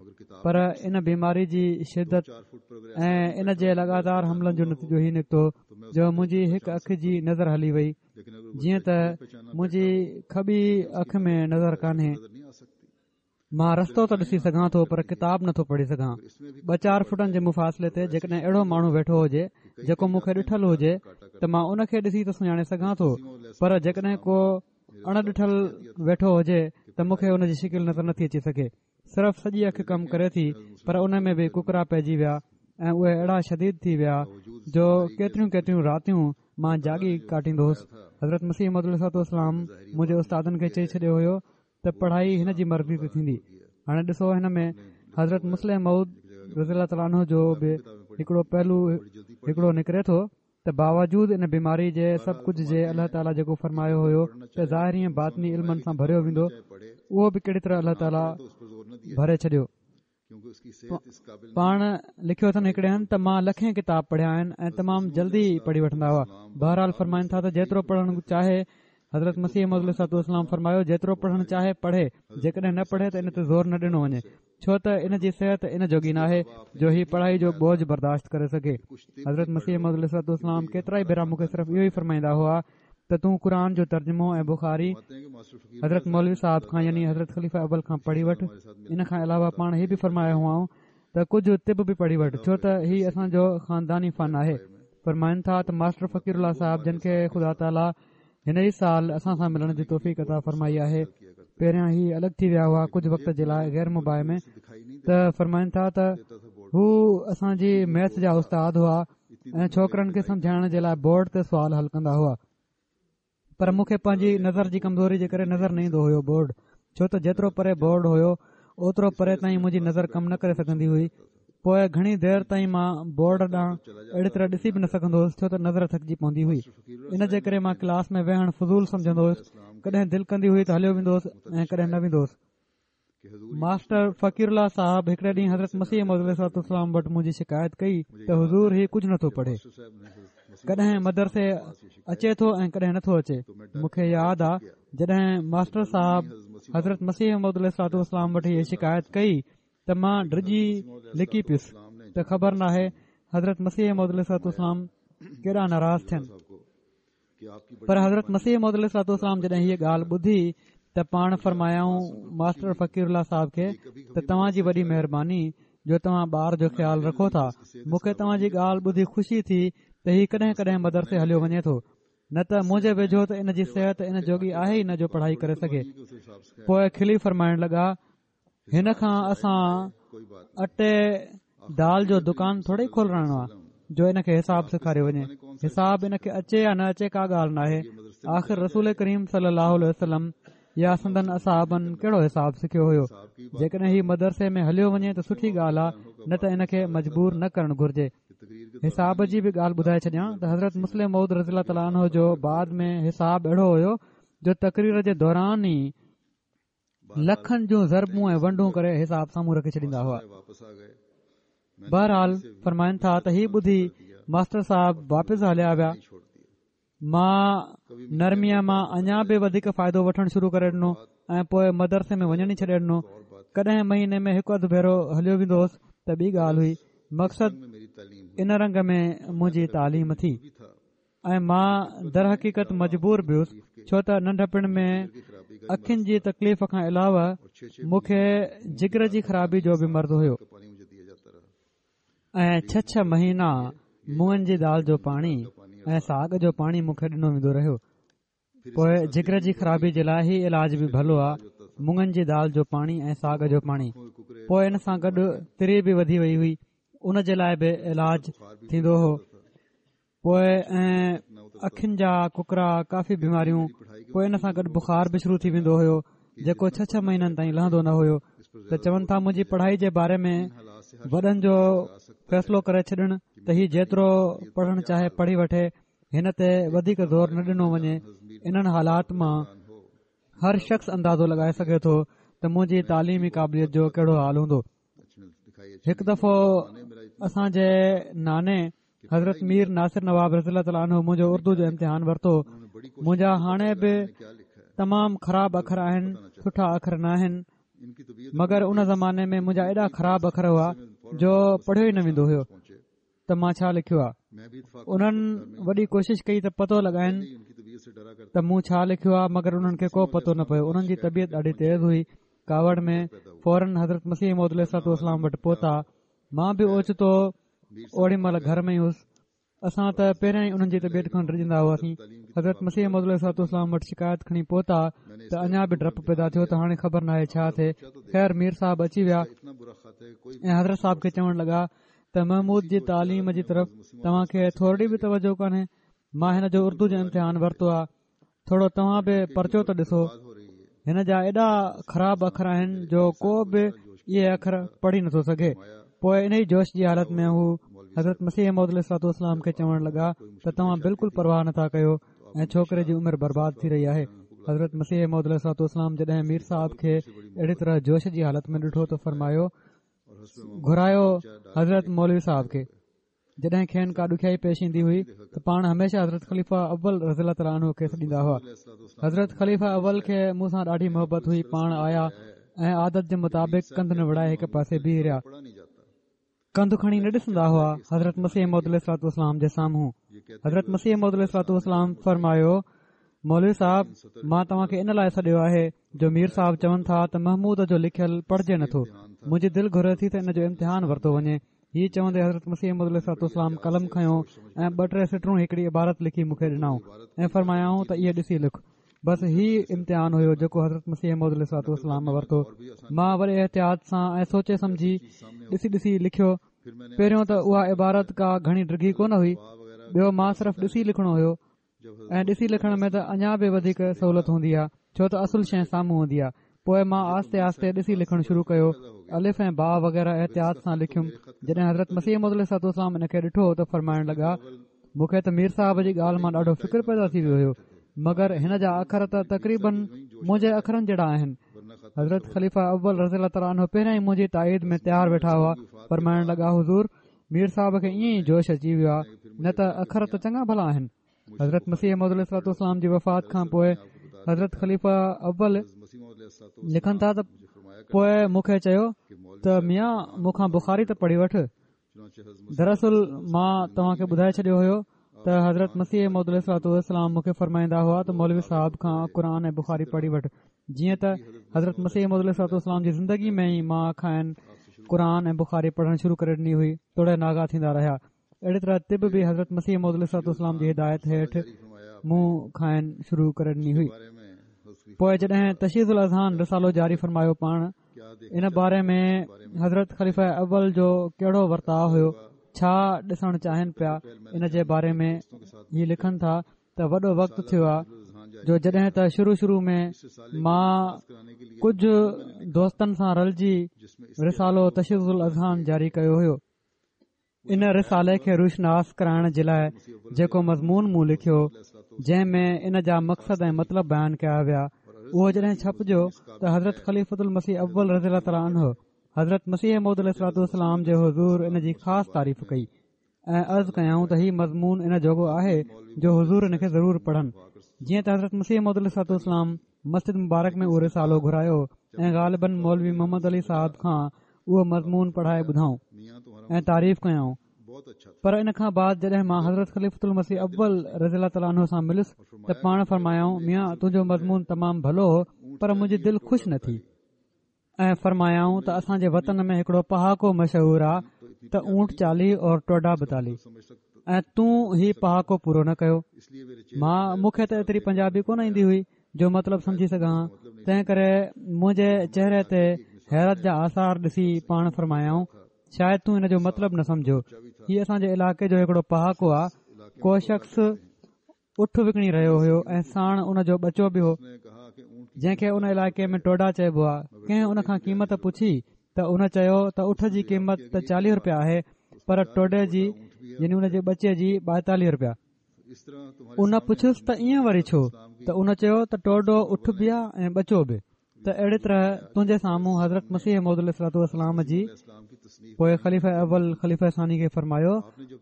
پر ان بيماري جي شدت ۽ ان جي لڳاتار حملن جو نتيجو هي نڪتو جو منهنجي هڪ اک جي نظر هلي وئي. جيئن ته منهنجي کٻي اک ۾ نظر ڪانهي، مان رستو ته ڏسي سگهان ٿو پر ڪتاب نٿو پڙهي سگهان. ٻه چار فٽن جي مفاصلي تي جيڪڏهن اهڙو ماڻهو ويٺو هجي جيڪو مون کي ڏٺل هجي ته مان ان کي ڏسي ته سڃاڻي سگهان ٿو، پر جيڪڏهن ڪو اڻ ڏٺل ويٺو هجي ته مون کي ان جي شڪل نظر نٿي اچي سگهي. صرف سڄي اک ڪم ڪري ٿي، پر ان ۾ به ڪڪرا پئجي ويا ۽ اهي اهڙا شديد ٿي ويا جو ڪيتريون ڪيتريون راتيون مان جاڳي ڪاٽيندو هوس. حضرت مسيح موعود عليه الصلوة والسلام منهنجي استادن کي چئي ڇڏيو هيو ته پڙهائي هن جي مرضي تي ٿيندي. هاڻي ڏسو هن ۾ حضرت مصلح موعود رضي الله تعاليٰ عنه جو به هڪڙو پهلو هڪڙو نڪري ٿو ته باوجود ان بيماري جي سڀ ڪجهه جي الله تعاليٰ جيڪو فرمايو هيو ته ظاهري ۽ باطني علمن سان ڀريو ويندو، اهو به ڪهڙي طرح الله تعاليٰ ڀري ڇڏيو. پاڻ لکيو اٿن هڪڙي هنڌ ته مان لکين ڪتاب پڙهيا آهن ۽ تمام جلدي پڙهي وٺندا هئا. بهرحال فرمائن ٿا ته جيترو پڙهڻ چاهي، حضرت مسيح موعود عليه الصلوة والسلام فرمايو جيترو پڙهڻ چاهي پڙهي، جيڪڏهن نه پڙهي ته ان تي زور نه ڏنو وڃي، ڇو ته ان جي صحت ان جوڳي ناهي جو هي پڙهائي جو بوجه برداشت ڪري سگهي. حضرت مسيح موعود عليه الصلوة والسلام ڪيترا ئي ڀيرا مون کي صرف اهو ئي فرمائيندا هئا ته تون قرآن جو ترجمو ۽ بخاري حضرت مولوي صاحب کان يعني حضرت خليفه اول کان پڙهي وٺ. ان کان علاوه پاڻ هي به فرمايو هئائون ته ڪجهه طب به پڙهي وٺ، ڇو ته هي اسان جو خانداني فن آهي. فرمائن ٿا ته ماسٽر فقير الله صاحب جن کي خدا تعاليٰ هن ئي سال اسان سان ملڻ جي توفيق عطا فرمائي آهي. پهريان هي الڳ ٿي ويا هئا ڪجهه وقت جي لاء غير مباح ۾، ته فرمائن ٿا ته هو اسان جي ميٿ جا استاد هئا ۽ ڇوڪرن کي سمجهائڻ جي لاء بورڊ تي سوال حل ڪندا هئا، پر مون کي پنهنجي نظر جي ڪمزوري جي ڪري نظر نه ايندو هيو بورڊ، ڇو ته جيترو پري بورڊ هيو اوترو پري تائين منهنجي نظر ڪم نه ڪري سگهندي هئي. پوءِ گهڻي دير تائين مان بورڊ ڏانهن اهڙي طرح ڏسي به نه سگهندو هوس، ڇو ته نظر ٿڪجي پوندي هئي. ان جي ڪري مان ڪلاس ۾ ويهڻ فضول سمجهندو هوس. ڪڏهن دل ڪندي هئي ته هليو ويندو هوس ۽ ڪڏهن نه ويندو هوس. ماسٽر فقير الله صاحب هڪڙي ڏينهن حضرت مسيح موعود عليه الصلوة والسلام وٽ منهنجي شڪايت ڪئي ته حضور هي ڪجهه نٿو پڙهي، ڪڏهن مدرسي اچي ٿو ۽ ڪڏهن نٿو اچي. مون کي ياد آ جڏهن ماسٽر صاحب حضرت مسيح موعود عليه الصلوة والسلام وٽ هيءَ شڪايت ڪئي ته مان ڊڄي لڪي پيس ته خبر ناهي حضرت مسيح موعود عليه الصلوة والسلام ڪيڏا ناراض ٿين. پر حضرت مسيح موعود عليه الصلوة والسلام جڏهن هيءَ ڳالهه ٻڌي ته پاڻ فرمايائون ماسٽر فقير الله صاحب کي ته توهان جي وڏي مهرباني جو توهان ٻار جو خيال رکو ٿا. مون کي توهان جي ڳالهه ٻڌي خوشي ٿي ته هي ڪڏهن ڪڏهن مدرسي هليو وڃي ٿو، نه ته منهنجي ويجهو ته ان جي صحت ان جوڳي آهي ئي نه جو پڙهائي ڪري سگهي. پوءِ کلي فرمائڻ لڳا هن کان اسان اٽي دال جو دڪان ٿوري کولرائڻو آهي جو ان کي حساب سيکاريو وڃي. حساب ان کي اچي يا نه اچي ڪا ڳالهه ناهي. آخر رسول ڪريم صلي الله عليه وسلم يا سندن اصحابن ڪهڙو حساب سکيو هيو؟ جيڪڏهن هي مدرسي ۾ هليو وڃي ته سٺي ڳالهه آهي، نه ته ان کي مجبور نه ڪرڻ گهرجي. حساب جي به ڳالهه ٻڌائي ڇڏيان ته حضرت مصلح موعود رضي الله تعاليٰ عنه جو بعد ۾ حساب اهڙو هيو جو تقرير جي دوران ئي لکن جون ضربون ۽ ونڊون ڪري حساب سامهون رکي ڇڏيندا هئا. بهرحال فرمائن ٿا ته هي ٻڌي ماسٽر صاحب واپس هليا ويا. مان نرميءَ مان اڃا به وڌيڪ فائدو وٺڻ شروع ڪري ڏنو ۽ پوءِ مدرسي ۾ وڃڻ ئي ڇڏي ڏنو. ڪڏهن مهيني ۾ هڪ اڌ ڀيرو هليو ويندو هوس ته ٻي ڳالهه هئي. مقصد ان رنگ ۾ منهنجي تعليم ٿي ۽ مان درحقيقت مجبور به هوس، ڇو ته ننڍپڻ ۾ اکين جي تڪليف کان علاوه مون کي جگر جي خرابي جو به مرض هيو ۽ ڇهه ڇهه مهينا مڱن جي دال جو پاڻي ۽ ساڳ جو پاڻي مون کي ڏنو ويندو رهيو. پوءِ جگر جي خرابي جي لاءِ هي علاج به ڀلو آهي، مڱن جي دال جو پاڻي ۽ ساڳ جو پاڻي. پوءِ ان سان گڏ تري به وڌي وئي هئي، ان جي لاءِ به علاج ٿيندو هو. پوءِ ۽ اکين جا ڪڪرا، ڪافي بيماريون. پوءِ ان سان گڏ بخار به شروع ٿي ويندو هيو جيڪو ڇهه ڇهه مهينن تائين لهندو نه هيو. ته چون ٿا منهنجي پڙهائي جي باري ۾ وڏن جو فيصلو ڪري ڇڏڻ ته هي جيترو پڙهڻ چاهي پڙهي وٺي، هن تي وڌيڪ زور نه ڏنو وڃي. انهن حالات مان هر شخص اندازو لڳائي سگهي ٿو ته منهنجي تعليمي قابليت جو ڪهڙو حال هوندو. هڪ دفعو اسان جي ناني حضرت مير ناصر نواب رضي الله تعاليٰ عنه منهنجو اردو جو امتحان ورتو. منهنجا هاڻي به تمام خراب اکر آهن، سٺا اکر نه آهن، مگر ان زماني ۾ منهنجا ايڏا خراب اکر هئا جو پڙهيو ئي نه ويندو هيو ته مان ڇا لکيو آهي. انهن وڏي ڪوشش ڪئي ته پتو لڳائن ته مون ڇا لکيو آهي، مگر انهن کي ڪو پتو نه پيو. انهن جي طبيعت ڏاڍي تيز هئي. ڪاوڙ ۾ فورن حضرت مسيح موعود عليه الصلوة والسلام وٽ پهتا. مان به اوچتو اوڏي مهل گهر ۾ ئي هئس. اسان ته پهريان ئي انهن جي طبيعت کان ڊڄندا هئاسين. حضرت مسيح موعود عليه الصلوة والسلام وٽ شڪايت کڻي پهتا ته اڃا به ڊپ پيدا ٿيو ته هاڻي خبر ناهي ڇا ٿئي. خير مير صاحب اچي ويا ۽ حضرت صاحب کي چوڻ لڳا ته محمود جي تعليم جي طرف توهان کي ٿورڙي به توجه ڪانهي. مان هن جو اردو جو امتحان ورتو آهي، ٿورو توهان به پرچو ته ڏسو. هن جا ايڏا خراب اکر آهن جو ڪو به اهي اکر پڙهي نٿو سگهي. پوءِ ان ئي جوش جي حالت ۾ هو حضرت مسيح موعود عليه الصلوة والسلام کي چوڻ لڳا ته توهان بلڪل پرواهه نٿا ڪيو ۽ ڇوڪري جي عمر برباد ٿي رهي آهي. حضرت مسيح موعود عليه الصلوة والسلام جڏهن مير صاحب کي اهڙي طرح جوش جي حالت ۾ ڏٺو ته فرمايو گهرايو حضرت مولوي صاحب کي. جڏهن کين ڪا ڏکيائي پيش ايندي هئي ته پاڻ هميشه حضرت خليفه اول رضي الله تعاليٰ عنه کي سڏيندا هئا. حضرت خليفه اول کي مون سان ڏاڍي محبت هئي. پاڻ آيا ۽ عادت جي مطابق ڪنڌ نوڙائي هڪ پاسي بيهي رهيا. ڪنڌ کڻي نه ڏسندا هئا حضرت مسيح موعود عليه الصلوة والسلام جي سامهون. حضرت مسيح موعود عليه الصلوة والسلام فرمايو، مولوي صاحب، مان توهان کي ان لاء سڏيو آهي جو مير صاحب چون ٿا ته محمود جو لکيل پڙهجي نٿو. منهنجي دل گهري ٿي ته ان جو امتحان ورتو وڃي. هي چوندي حضرت مسيح موعود عليه الصلوة والسلام قلم کنيو ۽ ٻه ٽي سٽرون هڪڙي عبارت لکي مون کي ڏنائون ۽ فرمايائون ته اهي ڏسي لک. بس هي امتحان هيو جيڪو حضرت مسيح موعود عليه الصلوة والسلام ورتو. مان وڏي احتياط سان ۽ سوچي سمجهي ڏسي ڏسي لکيو. پهريون ته اها عبارت ڪا گهڻي ڊگهي ڪونه هئي، ٻيو مان صرف ڏسي لکڻو هيو ۽ ڏسي لکڻ ۾ ته اڃا به وڌيڪ سهولت هوندي آهي، ڇو ته اصل شيء سامهون هوندي آهي. پوءِ مان آهستي آهستي ڏسي لکڻ شروع ڪيو. الف ۽ با وغيره احتياط سان لکيم. جڏهن حضرت مسيح موعود عليه الصلوة والسلام ان کي ڏٺو ته فرمائڻ لڳا، مون کي ته مير صاحب جي ڳالهه مان ڏاڍو فڪر پيدا ٿي ويو هيو، مگر هن جا اکر ته تقريبن منهنجي اکرن جهڙا آهن. حضرت خليفه اول رضي الله تعاليٰ عنه پهريان ئي منهنجي تائيد ۾ تيار ويٺا هئا. فرمائڻ لڳا، حضور، مير صاحب کي ائين ئي جوش اچي ويو آهي، نه ته اکر ته چڱا ڀلا آهن. حضرت مسيح موعود عليه الصلوة والسلام جي وفات کان پوءِ حضرت خليفه اول لکن ٿا ته پوءِ مون کي چيو ته ميان، مون کان بخاري ته پڙهي وٺ. دراصل مان توهان کي ٻڌائي ڇڏيو هيو ته حضرت مسيح موعود عليه الصلوة والسلام مون کي فرمائيندا هئا ته مولوي صاحب کان قرآن ۽ بخاري پڙهي وٺ. جيئن ته حضرت مسيح موعود عليه الصلوة والسلام جي زندگي ۾ ئي مان کانئن قرآن ۽ بخاري پڙهڻ شروع ڪري ڏني هئي، توڙي ناغا ٿيندا رهيا. اهڙي طرح طب به حضرت مسيح موعود عليه الصلوة والسلام جي هدايت هيٺ مون کانئن شروع ڪري ڏني هئي. پوءِ جڏهن تشحيذ الاذهان رسالو جاري فرمايو، پاڻ ان باري ۾ حضرت خليفه اول جو ڪهڙو ورتاءُ هيو، ڇا ڏسڻ چاهين پيا، ان جي باري ۾ هي لکن ٿا ته وڏو وقت ٿيو آهي جو جڏهن ته شروع شروع ۾ مان ڪجهه دوستن سان رلجي رسالو تشحيذ الاذهان جاري ڪيو هيو. ان رسالي کي روشناس ڪرائڻ جي لاءِ جيڪو مضمون مون لکيو، جنهن ۾ ان جا مقصد ۽ مطلب بيان ڪيا ويا، اهو جڏهن ڇپجيو ته حضرت خليفة المسيح اول رضي الله تعاليٰ عنه حضرت مسيح موعود عليه الصلوة والسلام جي حضور ان جي خاص تعريف ڪئي ۽ عرض ڪيائون ته هي مضمون ان جوڳو آهي جو حضور ان کي ضرور پڙهن. جيئن ته حضرت مسيح موعود عليه الصلوة والسلام مسجد مبارڪ ۾ اهو رسالو گهرايو ۽ غالباً مولوي محمد علي صاحب کان اهو مضمون پڙهائي ٻڌائون ۽ تعريف ڪيائون. پر ان کان بعد جڏهن مان حضرت خليفة المسيح اول رضي الله تعاليٰ عنه سان مليس ته پاڻ فرمايائون، ميان، تنهنجو مضمون تمام ڀلو هو، پر منهنجي دل خوش نه ٿي. ۽ فرمايائون ته اسان جي وطن ۾ هڪڙو پهاڪو مشهور آ ته اونٽ چاليهه اور ٽوڊا ٻائيتاليهه، ۽ تون هي پهاڪو پورو نه ڪيو. مان مون کي ته ايتري پنجابي ڪونه ايندي هئي جو مطلب سمجهي سگهان، تنهن ڪري منهنجي چهري تي حيرت جا آثار ڏسي پاڻ فرمايائون، شايد تون ان جو مطلب نه سمجهيو. هي اسان جي علائقي جو هڪڙو پهاڪو آ. ڪو شخص اٺ وڪڻي رهيو هيو ۽ ساڻ ان جو ٻچو به هو، جنهن کي ان علائقي ۾ ٽوڊا چئبو آ. ڪنهن ان کان قيمت پڇي ته ان چيو ته اٺ جي قيمت ته چاليهه رپيا آهي، پر ٽوڊي جي، يعني ان جي ٻچي جي، ٻائيتاليهه رپيا. ان پڇيس ته ائين وري ڇو؟ ته ان چيو ته ٽوڊو اٺ به آ ۽ ٻچو به. ته اهڙي طرح تنهنجي سامهون حضرت مسيح موعود عليه الصلوة والسلام جي، پوءِ خليفه اول خليفه ثاني کي فرمايو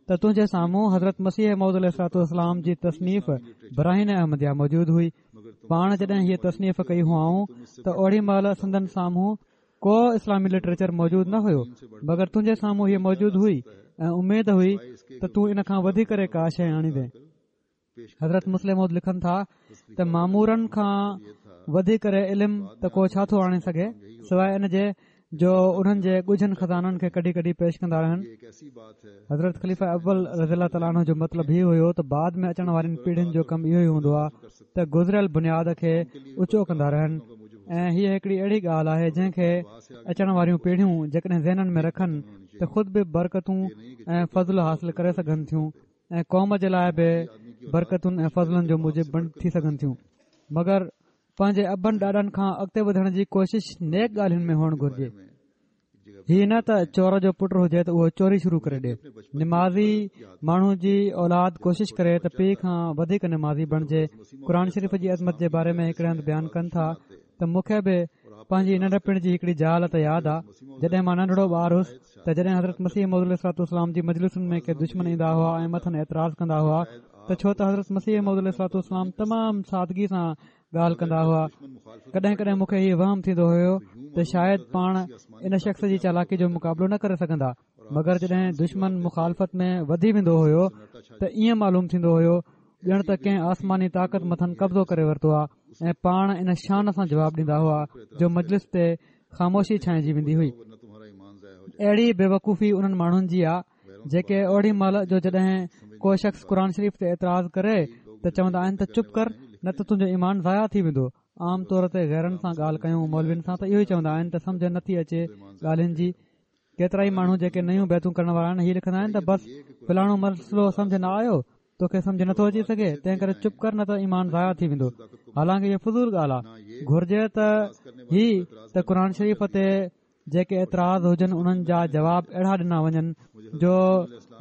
ته تنهنجي سامهون حضرت مسيح موعود عليه الصلوة والسلام جي تصنيف براهين احمديه موجود هئي. پاڻ جڏهن هيء تصنيف ڪئي هئائون ته اوڏي مهل سندن سامهون ڪو اسلامي لٽريچر موجود نه هيو، مگر تنهنجي سامهون هيء موجود هئي ۽ اميد هئي ته تون ان کان وڌي ڪري ڪا شيء آڻيندين. حضرت مصلح موعود لکن ٿا ته مامورن کان وڌي ڪري علم ته ڪو ڇا ٿو آڻي سگهي، سواءِ ان جي جو انهن جي ڳجهن خزانن کي ڪڍي ڪڍي پيش ڪندا رهن. حضرت خليفه اول رضي الله تعاليٰ عنه جو مطلب هي هيو ته بعد ۾ اچڻ وارين پيڙهين جو ڪم اهو ئي هوندو آهي ته گذريل بنياد کي اوچو ڪندا رهن، ۽ هيء هڪڙي اهڙي ڳالهه آهي جنهن کي اچڻ واريون پيڙهيون جيڪڏهن ذهنن ۾ رکن ته خود به برڪتون ۽ فضل حاصل ڪري سگهن ٿيون ۽ قوم جي لاءِ به برڪتن ۽ فضلن جو موجب بڻ ٿي سگهن ٿيون. مگر پنهنجي ابن ڏاڏن کان اڳتي وڌڻ جي ڪوشش نيڪ ڳالهين ۾ هئڻ گهرجي. هي نه ته چور جو پٽ هجي ته اهو چوري شروع ڪري ڏي. نمازي ماڻهو جي اولاد ڪوشش ڪري ته پيءُ کان وڌيڪ نمازي بڻجي. قرآن شريف جي عظمت جي باري ۾ هڪڙي هنڌ بيان ڪن ٿا ته مون کي به پنهنجي ننڍپڻ جي هڪڙي جهالت ياد آ، جڏهن مان ننڍڙو ٻار هوس ته جڏهن حضرت مسيح موعود عليه الصلوة والسلام جي مجلسن ۾ ڪي دشمن ايندا هئا ۽ مٿن اعتراض ڪندا هئا ته ڇو ته حضرت مسيح موعود عليه الصلوة والسلام تمام سادگي سان ڳالهه ڪندا هئا. ڪڏهن ڪڏهن مون کي هي وهم ٿيندو هيو ته شايد پاڻ ان شخص جي چالاڪي جو مقابلو نه ڪري سگهندا، مگر جڏهن دشمن مخالفت ۾ وڌي ويندو هيو ته ائين معلوم ٿيندو هيو ڄڻ ته ڪنهن آسماني طاقت مٿن قبضو ڪري ورتو آهي ۽ پاڻ ان شان سان جواب ڏيندا هئا جو مجلس تي خاموشي ڇانئجي ويندي هئي. اهڙي بيوقوفي انهن ماڻهن جي آ جيڪي اوڏي مهل جو جڏهن ڪو شخص قرآن شريف تي اعتراض ڪري ته چوندا آهن ته چپ ڪر نه ته تنهنجو ايمان ضايع ٿي ويندو. عام طور تي غيرن سان ڳالهه ڪيون مولوين سان ته اهو ئي چوندا آهن ته سمجهه نٿي اچي ڳالهين جي. ڪيترائي ماڻهو جيڪي نيون بيعتون ڪرڻ وارا آهن هي لکندا آهن ته بس فلاڻو مسئلو سمجهه نه آيو، توکي سمجهه نٿو اچي سگهي، تنهن ڪري چپ ڪر نه ته ايمان ضايع ٿي ويندو. حالانڪه اهو فضول ڳالهه آهي. گهرجي ته هي ته قرآن شريف تي جيڪي اعتراض هجن انهن جا جواب اهڙا ڏنا وڃن جو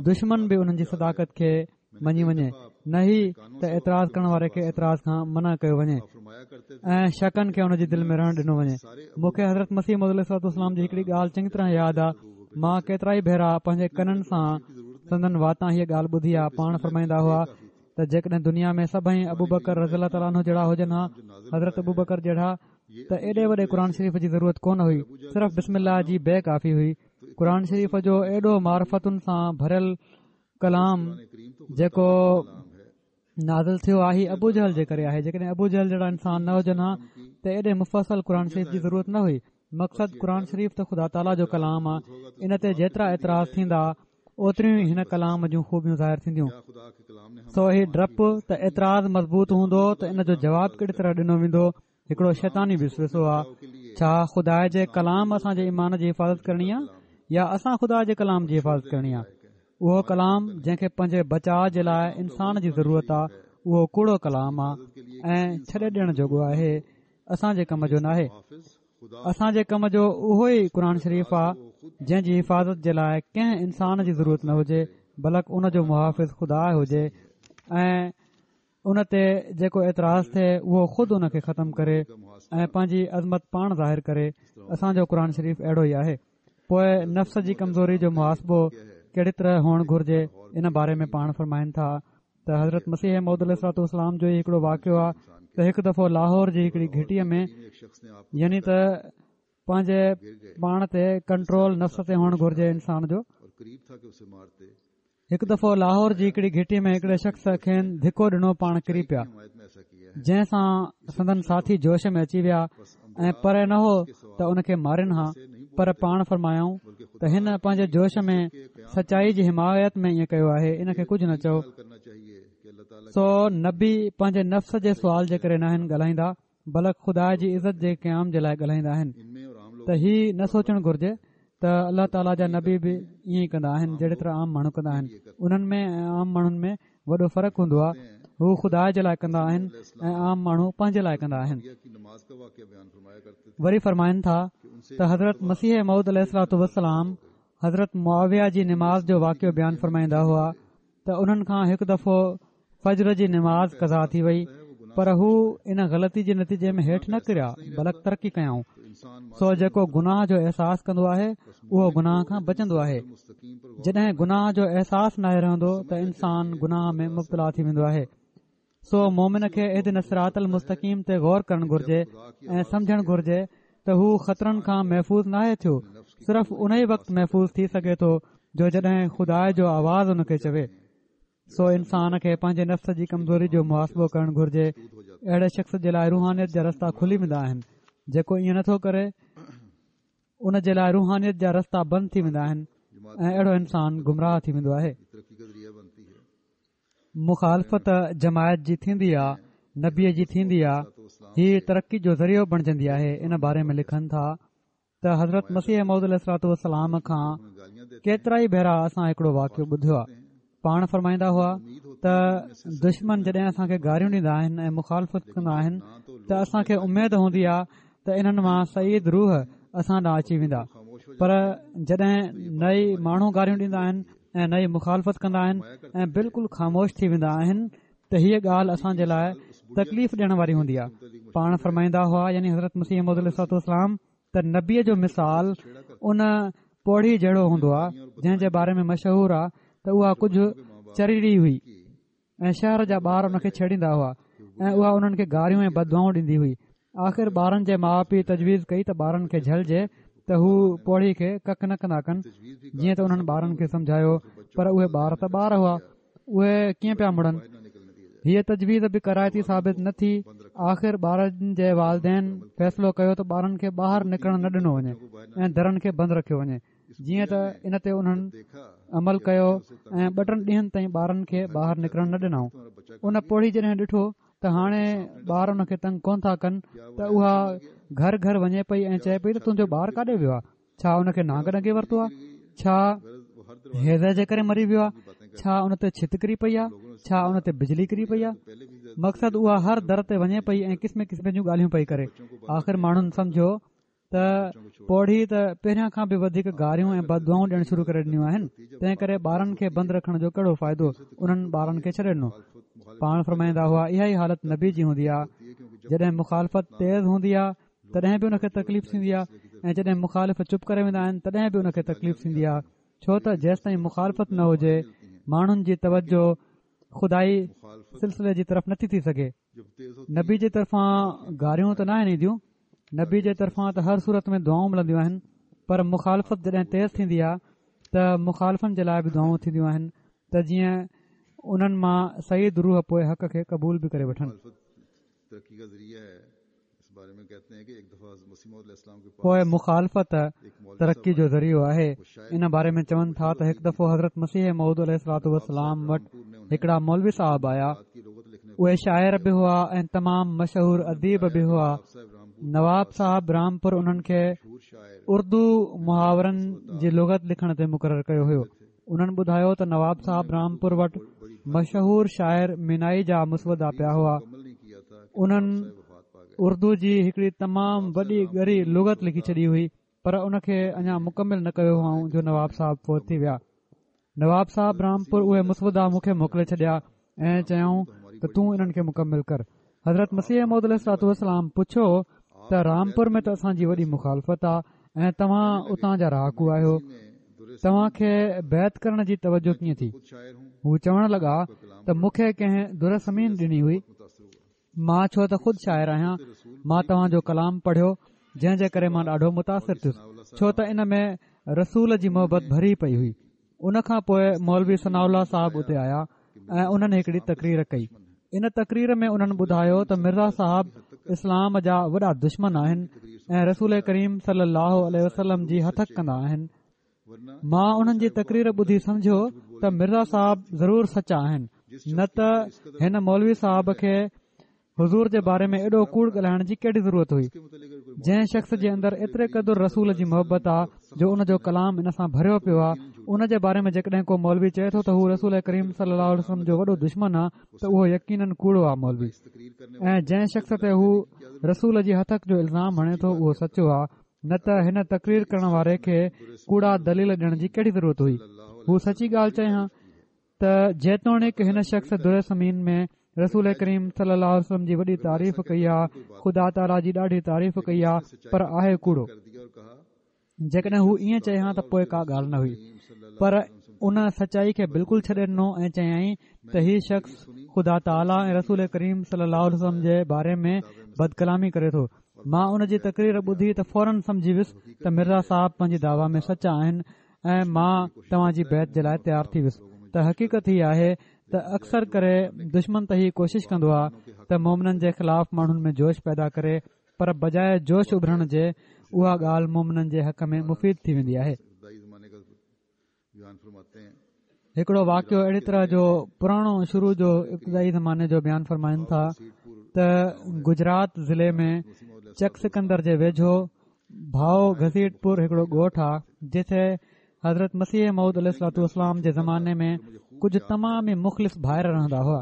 دشمن به انهن جي صداقت کي مڃي وڃي، نه هي ته اعتراض ڪرڻ واري کي اعتراض کان منع ڪيو وڃي ۽ شڪن کي ان جي دل ۾ رهڻ ڏنو وڃي. مون کي حضرت مسيح موعود عليه الصلوة والسلام جي هڪڙي ڳالهه چڱي طرح ياد آ، مان ڪيترائي ڀيرا پنهنجي ڪنن سان سندن واتان هيء ڳالهه ٻڌي آ. پاڻ فرمائيندا هئا ته جيڪڏهن دنيا ۾ سڀئي ابوبڪر رضي الله تعاليٰ عنه جهڙا هجن ها، حضرت ابوبڪر جهڙا، ته ايڏي وڏي قرآن شريف جي ضرورت ڪونه هئي، صرف بسم الله جي بي ڪافي هئي. قرآن شريف جو ايڏو معرفتن سان ڀريل ڪلام جيڪو نازل ٿيو آهي ابو جهل جي ڪري آهي. جيڪڏهن ابو جهل جهڙا انسان نه هجن ها ته ايڏي مفصل قرآن شريف جي ضرورت نه هئي. مقصد قرآن شريف ته خدا تعاليٰ جو ڪلام آ، ان تي جيترا اعتراض ٿيندا اوتريون ئي هن ڪلام جون خوبيون ظاهر ٿينديون. سو هي ڊپ ته اعتراض مضبوط هوندو ته ان جو جواب ڪهڙي طرح ڏنو ويندو هڪڙو شيطاني وسوسو آ. ڇا خدا جي ڪلام اسان جي ايمان جي حفاظت ڪرڻي آ يا اسان خدا جي ڪلام جي حفاظت ڪرڻي آ؟ اهو ڪلام جنهن کي پنهنجي بچاء جي لاء انسان جي ضرورت آ اهو ڪوڙو ڪلام آ ۽ ڇڏي ڏيڻ جوڳو آهي، اسان جي ڪم جو ناهي. اسان جي ڪم جو اهو ئي قرآن شريف آ جنهن جي حفاظت جي لاء ڪنهن انسان جي ضرورت نه هجي، بلڪ ان جو محافظ خدا هجي ۽ ان تي جيڪو اعتراض ٿئي اهو خود ان کي ختم ڪري ۽ پنهنجي عظمت پاڻ ظاهر ڪري. اسان جو قرآن شريف اهڙو ئي آهي. پوء نفس جي ڪمزوري جو محاسبو ڪهڙي طرح هئڻ گهرجي ان باري ۾ پاڻ فرمائن ٿا ته حضرت مسيح موعود عليه الصلوة والسلام جو ئي هڪڙو واقعو آهي ته هڪ دفعو لاهور جي هڪڙي گهٽيء ۾ يعني ته پنهنجي پاڻ تي ڪنٽرول نفس تي هئڻ گهرجي انسان جو. هڪ دفعو لاهور جي هڪڙي گهٽي ۾ هڪڙي شخص کين ڌڪو ڏنو، پاڻ ڪري پيا، جنهن سان سندن ساٿي جوش ۾ اچي ويا ۽ پري نه هو ته ان کي مارين ها، پر پاڻ فرمايائون ته هن پنهنجي جوش ۾ سچائي جي حمايت ۾ ائين ڪيو آهي، ان کي ڪجهه نه چئو. سو نبي پنهنجي نفس جي سوال جي ڪري ناهن ڳالهائيندا، بلڪ خدا جي عزت جي قيام جي لاء ڳالهائيندا آهن ته هي نه سوچڻ گهرجي ته الله تعاليٰ جا نبي به ائين ئي ڪندا آهن جهڙي طرح عام ماڻهو ڪندا آهن. انهن ۾ ۽ عام ماڻهن ۾ وڏو فرق هوندو آهي. هو خدا جي لاء ڪندا آهن ۽ عام ماڻهو پنهنجي لاء ڪندا آهن. وري فرمائن ٿا ته حضرت مسيح موعود عليه الصلوة والسلام حضرت معاويه جي نماز جو واقعو بيان فرمائيندا هئا ته انهن کان هڪ دفعو فجر جي نماز قضا ٿي وئي پر هو ان غلطي جي نتيجي ۾ هيٺ نه ڪريا بلڪ ترقي ڪيائون. سو جيڪو گناهه جو احساس ڪندو آهي اهو گناهه کان بچندو آهي. جڏهن گناهه جو احساس ناهي رهندو ته انسان گناهه ۾ مبتلا ٿي ويندو آهي. سو مومن کي اهدنا الصراط المستقيم تي غور ڪرڻ گهرجي ۽ سمجهڻ گهرجي ته هو خطرن کان محفوظ ناهي ٿيو، صرف ان ئي وقت محفوظ ٿي سگهي ٿو جو جڏهن خدا جو آواز ان کي چوي. سو انسان کي پنهنجي نفس جي ڪمزوري جو محاسبو ڪرڻ گهرجي. اهڙي شخص جي لاء روحانيت جا رستا کلي ويندا آهن. جيڪو ائين نٿو ڪري ان جي لاء روحانيت جا رستا بند ٿي ويندا آهن ۽ اهڙو انسان گمراهه ٿي ويندو آهي. مخالفت جماعت جي ٿيندي آ، نبيء جي ٿيندي آ، هي ترقي جو ذريعو بڻجندي آهي. ان باري ۾ لکن ٿا ته حضرت مسيح موعود عليه الصلوة والسلام کان ڪيترائي ڀيرا اسان هڪڙو واقعو ٻڌيو آهي. پاڻ فرمائيندا هئا ته دشمن جڏهن اسان کي گاريون ڏيندا آهن ۽ مخالفت ڪندا آهن ته اسان کي اميد هوندي آهي ته انهن مان سعيد روح اسان ڏانهن اچي ويندا، پر جڏهن نه ئي ماڻهو گاريون ڏيندا آهن ۽ نه ئي مخالفت ڪندا آهن ۽ بلڪل خاموش ٿي ويندا آهن ته هيء ڳالهه اسان جي لاء تڪليف ڏيڻ واري هوندي آهي. پاڻ فرمائيندا هئا، يعني حضرت مسيح موعود عليه الصلوة والسلام، ته نبيء جو مثال ان پوڙهي جهڙو هوندو آهي جنهن جي باري ۾ مشهور آهي ته اها ڪجهه چريڙي هئي ۽ شهر جا ٻار ان کي ڇيڙيندا هئا ۽ اها انهن کي گاريون ۽ بددعائون ڏيندي هئي. آخر ٻارن جي ماءُ پيءُ تجويز ڪئي ته ٻارن کي جهلجي ته هو پوڙهي کي ڪڪ نه ڪندا ڪن، جيئن ته انهن ٻارن کي سمجهايو، پر اهي ٻار ته ٻار هئا، اهي ڪيئن پيا مڙن. هيء تجويز به ڪارائتي ثابت نه ٿي. آخر ٻارن جي والدين فيصلو ڪيو ته ٻارن کي ٻاهر نڪرڻ نه ڏنو وڃي ۽ درن کي بند رکيو وڃي، جيئن ته ان تي انهن عمل ڪيو ۽ ٻه ٽن ڏينهن تائين ٻارن کي ٻاهر نڪرڻ نه ڏنائون. ان پوڙهي جڏهن ڏٺو ته هاڻي ٻار ان کي تنگ ڪونه ٿا ڪن ته اها گهر گهر وڃي پئي ۽ چئي پئي ته تنهنجو ٻار ڪاڏي ويو آهي؟ ڇا ان کي نانگ ڏنگي ورتو آهي؟ ڇا هيضي جي ڪري مري ويو آهي؟ ڇا ان تي ڇت ڪري پئي آهي؟ ڇا ان تي بجلي ڪري پئي آهي؟ مقصد اها هر در تي وڃي پئي ۽ قسم قسم جون ڳالهيون پئي ڪري. آخر ماڻهن سمجهيو ته پوڙهي ته پهريان کان به وڌيڪ گاريون ۽ بددعائون ڏيڻ شروع ڪري ڏنيون آهن، تنهن ڪري ٻارن کي بند رکڻ جو ڪهڙو فائدو، انهن ٻارن کي ڇڏي ڏنو. پاڻ فرمائيندا هئا، اها ئي حالت نبي جي هوندي آهي، جڏهن مخالفت تيز هوندي آهي تڏهن به ان کي تڪليف ٿيندي آهي ۽ جڏهن مخالف چپ ڪري ويندا آهن تڏهن به ان کي تڪليف ٿيندي آهي، ڇو ته جيستائين مخالفت نه هجي ماڻهن جي توجه خدائي سلسلي جي طرف نٿي ٿي سگهي. نبي جي طرفان گاريون ته ناهن اينديون، نبي جي طرفان ته هر صورت ۾ دعائون ملنديون آهن، پر مخالفت جڏهن تيز ٿيندي آهي ته مخالفن جي لاء به دعائون ٿينديون آهن ته جيئن انهن مان سعيد روح پوء حق کي قبول به ڪري وٺن. پوء مخالفت ترقي جو ذريعو آهي. ان باري ۾ چون ٿا ته هڪ دفعو حضرت مسيح موعود عليه الصلوة والسلام وٽ هڪڙا مولوي صاحب آيا. اهي شاعر به هئا ۽ تمام مشهور اديب به هئا. نواب صاحب رامپور انهن کي اردو محاورن جي لغت لکڻ تي مقرر ڪيو هيو. انهن ٻڌايو ته نواب صاحب رامپور وٽ مشهور شاعر مينائي جا مسودا پيا هئا. انهن اردو جي هڪڙي تمام وڏي ڳري لغت لکي ڇڏي هئي، پر ان کي اڃا مڪمل نه ڪيو هئائون جو نواب صاحب فوت ٿي ويا. نواب صاحب رامپور اهي مسودا مون کي موڪلي ڇڏيا ۽ چيائون ته تون انهن کي مڪمل ڪر. حضرت مسيح موعود عليه الصلوة والسلام پڇيو ته رامپور ۾ ته اسان جي وڏي مخالفت آ ۽ توهان اتان جا رهاڪو آهيو، توهان کي بيعت ڪرڻ جي توجه ڪيئن ٿي؟ هو چوڻ لڳا ته مون کي ڪنهن در ثمين ڏني هئي، مان ڇو ته خود شاعر آهيان، مان توهان جو ڪلام پڙهيو جنهن جي ڪري مان ڏاڍو متاثر ٿيس، ڇو ته ان ۾ رسول جي محبت ڀري پئي هئي. ان کان پوء مولوي ثناء الله صاحب اتي آيا ۽ انهن هڪڙي تقرير ڪئي. ان تقرير ۾ انهن ٻڌايو ته مرزا صاحب اسلام جا وڏا دشمن آهن ۽ رسول ڪريم صلي الله عليه وسلم جي هتڪ ڪندا آهن. مان انهن جي تقرير ٻڌي سمجهيو ته مرزا صاحب ضرور سچا آهن، نه ته هن مولوي صاحب کي حضور جي باري ۾ ايڏو ڪوڙ ڳالهائڻ جي ڪهڙي ضرورت هئي. جنهن شخص جي اندر ايتري قدر رسول جي محبت آ جو ان جو ڪلام ان سان ڀريو پيو آ، ان جي باري ۾ جيڪڏهن ڪو مولوي چئي ٿو ته هو رسول ڪريم صلي الله عليه وسلم جو وڏو دشمن آ ته اهو يقينن ڪوڙو آ مولوي، ۽ جنهن شخص تي هو رسول جي هتڪ جو الزام هڻي ٿو اهو سچو آ، نه ته هن تقرير ڪرڻ واري کي ڪوڙا دليل ڏيڻ جي ڪهڙي ضرورت هئي. هو سچي ڳالهه چئي ها ته جيتوڻيڪ هن شخص در ثمين ۾ رسول ڪريم صلي الله عليه وسلم جي وڏي تعريف ڪئي آ، خدا تعاليٰ جي ڏاڍي تعريف ڪئي آ، پر آهي ڪوڙو. جيڪڏهن هو ائين چئي ها ته پوء ڪا ڳالهه نه هئي، پر ان سچائي کي بلڪل ڇڏي ڏنو ۽ چيائين ته هي شخص خدا تعاليٰ ۽ رسول ڪريم صلي الله عليه وسلم جي باري ۾ بدڪلامي ڪري ٿو. مان ان جي تقرير ٻڌي ته فورن سمجهي ويس ته مرزا صاحب پنهنجي دعويٰ ۾ سچا آهن ۽ مان توهان جي بيعت جي لاء تيار ٿي ويس ته حقيقت هي آهي ته اڪثر ڪري دشمن ته هي ڪوشش ڪندو آهي ته مومنن جي خلاف ماڻهن ۾ جوش پيدا ڪري، پر بجاء جوش اڀرڻ جي اها ڳالهه مومنن جي حق ۾ مفيد ٿي ويندي آهي. هڪڙو واقعو اهڙي طرح جو پراڻو شروع جو ابتدائي زماني جو بيان فرمائن ٿا ته گجرات ضلعي ۾ چڪ سڪندر جي ويجهو ڀائو گهسيٽ پور هڪڙو ڳوٺ آ، جتي حضرت مسيح موعود عليه الصلوة والسلام جي زماني ۾ ڪجهه تمام ئي مخلص ڀائر رهندا هئا.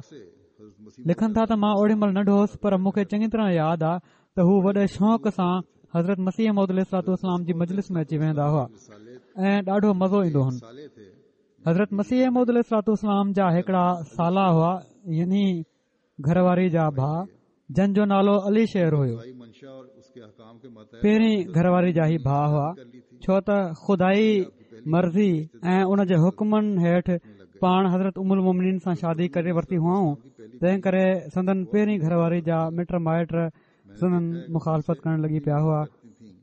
لکن ٿا ته مان اوڏي مهل ننڍو هوس پر مون کي چڱي طرح ياد آ ته هو وڏي شوق سان حضرت مسيح موعود عليه الصلوة والسلام جي مجلس ۾ اچي ويهندا هئا ۽ ڏاڍو مزو ايندو هن. حضرت مسيح موعود عليه الصلوة والسلام جا هڪڙا سالا هئا، يعني گهر واري جا ڀاء، جن جو نالو علي شير هيو. پهرين گهر واري جا هي ڀاءُ هئا، ڇو ته خدائي مرضي ۽ ان جي حڪمن هيٺ پاڻ حضرت ام المومنين سان شادي ڪري ورتي هئائون، تنهن ڪري سندن پهرين گهر واري جا مٽ مائٽ سندن مخالفت ڪرڻ لڳي پيا هئا.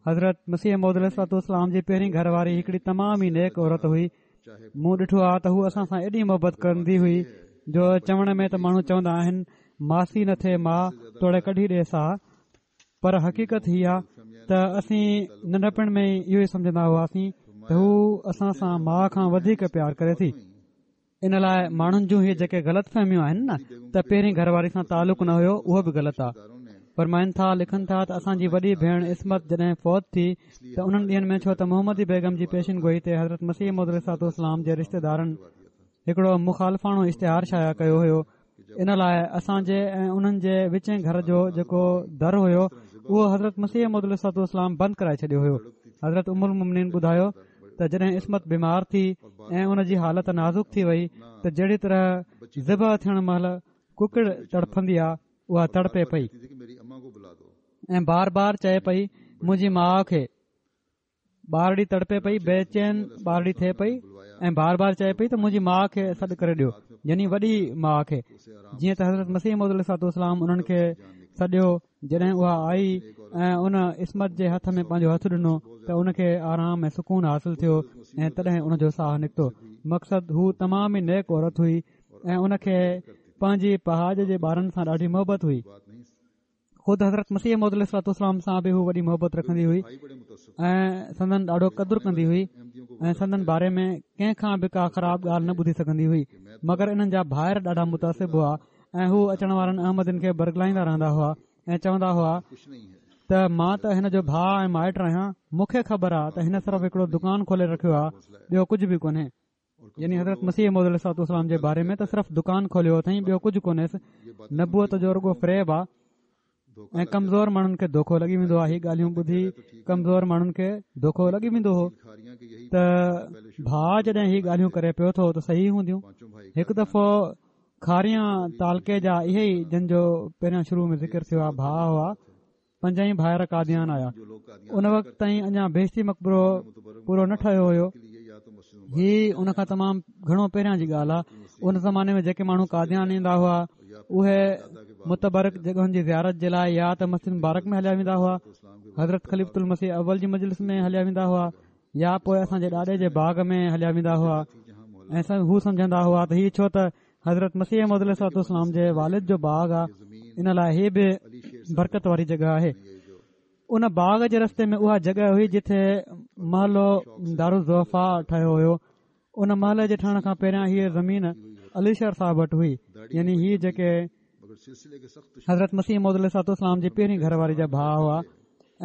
حضرت مسيح موعود عليه الصلوة والسلام جي پهرين گهر واري هڪڙي تمام ئي نيڪ عورت هئي. مون ڏٺو آهي ته هو اسان سان ايڏي محبت ڪندي هئي جو چوڻ ۾ ته ماڻهو چوندا آهن ماسي نه ٿئي ماءُ توڙي ڪڍي ڏي ساهه، پر حقيقت هي آهي ته اسين ننڍپڻ ۾ ئي اهو ئي سمجهندا هئاسين ته هو اسان سان ماءُ کان وڌيڪ پيار ڪري ٿي. ان لاءِ ماڻهن جون هي جيڪي غلط فهميون آهن نه ته پهرين گهر واري سان تعلق نه هيو، اهو به غلط آهي. فرمائن ٿا، لکن ٿا ته اسان جي وڏي ڀيڻ عصمت جڏهن فوت ٿي ته انهن ڏينهن ۾ ڇو ته محمدي بيگم جي پيشن گوئي تي حضرت مسيح موعود عليه الصلوة والسلام جي رشتيدارن هڪڙو مخالفاڻو اشتهار شايع ڪيو هيو، ان لاءِ اسان جي ۽ انهن جي وچين گهر جو جيڪو در هيو اهو حضرت مسيح موعود عليه الصلوة والسلام بند ڪرائي ڇڏيو هيو. حضرت ام المومنين ٻڌايو ته جڏهن عصمت بيمار ٿي ۽ ان جي حالت نازڪ ٿي وئي ته جهڙي طرح ذبح ٿيڻ مهل ڪڪڙ تڙڦندي آهي اها تڙپي پئي ۽ بار بار چئي پئي منهنجي ماءُ کي. ٻارڙي تڙپي پئي، بيچين ٻارڙي ٿئي پئي ۽ بار بار چئي پئي ته منهنجي ماءُ کي سڏ ڪري ڏيو، يعني وڏي ماءُ کي. جيئن ته حضرت مسيح موعود عليه الصلوة والسلام انهن کي سڏيو، جڏهن اها آئي ۽ ان عصمت جي هٿ ۾ پنهنجو هٿ ڏنو ته ان کي آرام ۽ سڪون حاصل ٿيو ۽ تڏهن ان جو ساهه نڪتو. مقصد هو تمام ئي نيڪ عورت هئي ۽ ان کي پنهنجي پهاڄ جي ٻارن سان ڏاڍي محبت هئي. خود حضرت مسيح موعود عليه الصلوة والسلام سان به هو وڏي محبت رکندي هئي ۽ سندن ڏاڍو قدر ڪندي هئي ۽ سندن باري ۾ ڪنهن کان به ڪا خراب ڳالهه نه ٻڌي سگهندي هئي. مگر انهن جا ڀائر ڏاڍا متعصب هئا ۽ هو اچڻ وارن احمدين کي برغلائيندا رهندا هئا ۽ چوندا هئا ته مان ته هن جو ڀاءُ ۽ مائٽ آهيان، مون کي خبر آهي ته هن صرف هڪڙو دڪان کولي رکيو آهي، ٻيو ڪجهه به ڪونهي. يعني حضرت مسيح موعود عليه الصلوة والسلام جي باري ۾ ته صرف دڪان کوليو اٿئين، ٻيو ڪجهه ڪونهيس. نبوت جو رڳو فريب آهي ۽ ڪمزور ماڻهن کي دوکو لڳي ويندو آهي. هي ڳالهيون ٻڌي ڪمزور ماڻهن کي دوکو لڳي ويندو هو ته ڀاءُ جڏهن هي ڳالهيون ڪري پيو ٿو ته صحيح هونديون. هڪ دفعو کاريان تعلقي جا اهي ئي جن جو پهريان شروع ۾ ذڪر ٿيو آهي ڀاءُ هئا، پنج ئي ڀائر قاديان آيا. ان وقت تائين اڃا بهشتي مقبرو پورو نه ٺهيو هيو. هي ان کان تمام گهڻو پهريان جي ڳالهه آهي. ان زماني ۾ جيڪي ماڻهو قاديان ايندا هئا اهي متبرڪ جڳهن جي زيارت جي لاءِ يا ته مسجد مبارڪ ۾ هليا ويندا هئا، حضرت خليفة المسيح اول جي مجلس ۾ هليا ويندا هئا، يا پوءِ اسان جي ڏاڏي جي باغ ۾ هليا ويندا هئا. ۽ هو سمجهندا هئا ته هي ڇو ته حضرت مسيح موعود عليه الصلوة والسلام جي والد جو باغ آهي، ان لاءِ هي به برڪت واري جڳهه آهي. ان باغ جي رستي ۾ اها جڳهه هئي جتي محلو دارالضعفاء ٺهيو هيو. ان محلي جي ٺهڻ کان پهريان هيءَ زمين علي شير صاحب وٽ هئي، يعني هي جيڪي حضرت مسيح موعود عليه الصلوة والسلام جي پهرين گهر واري جا ڀاءُ هئا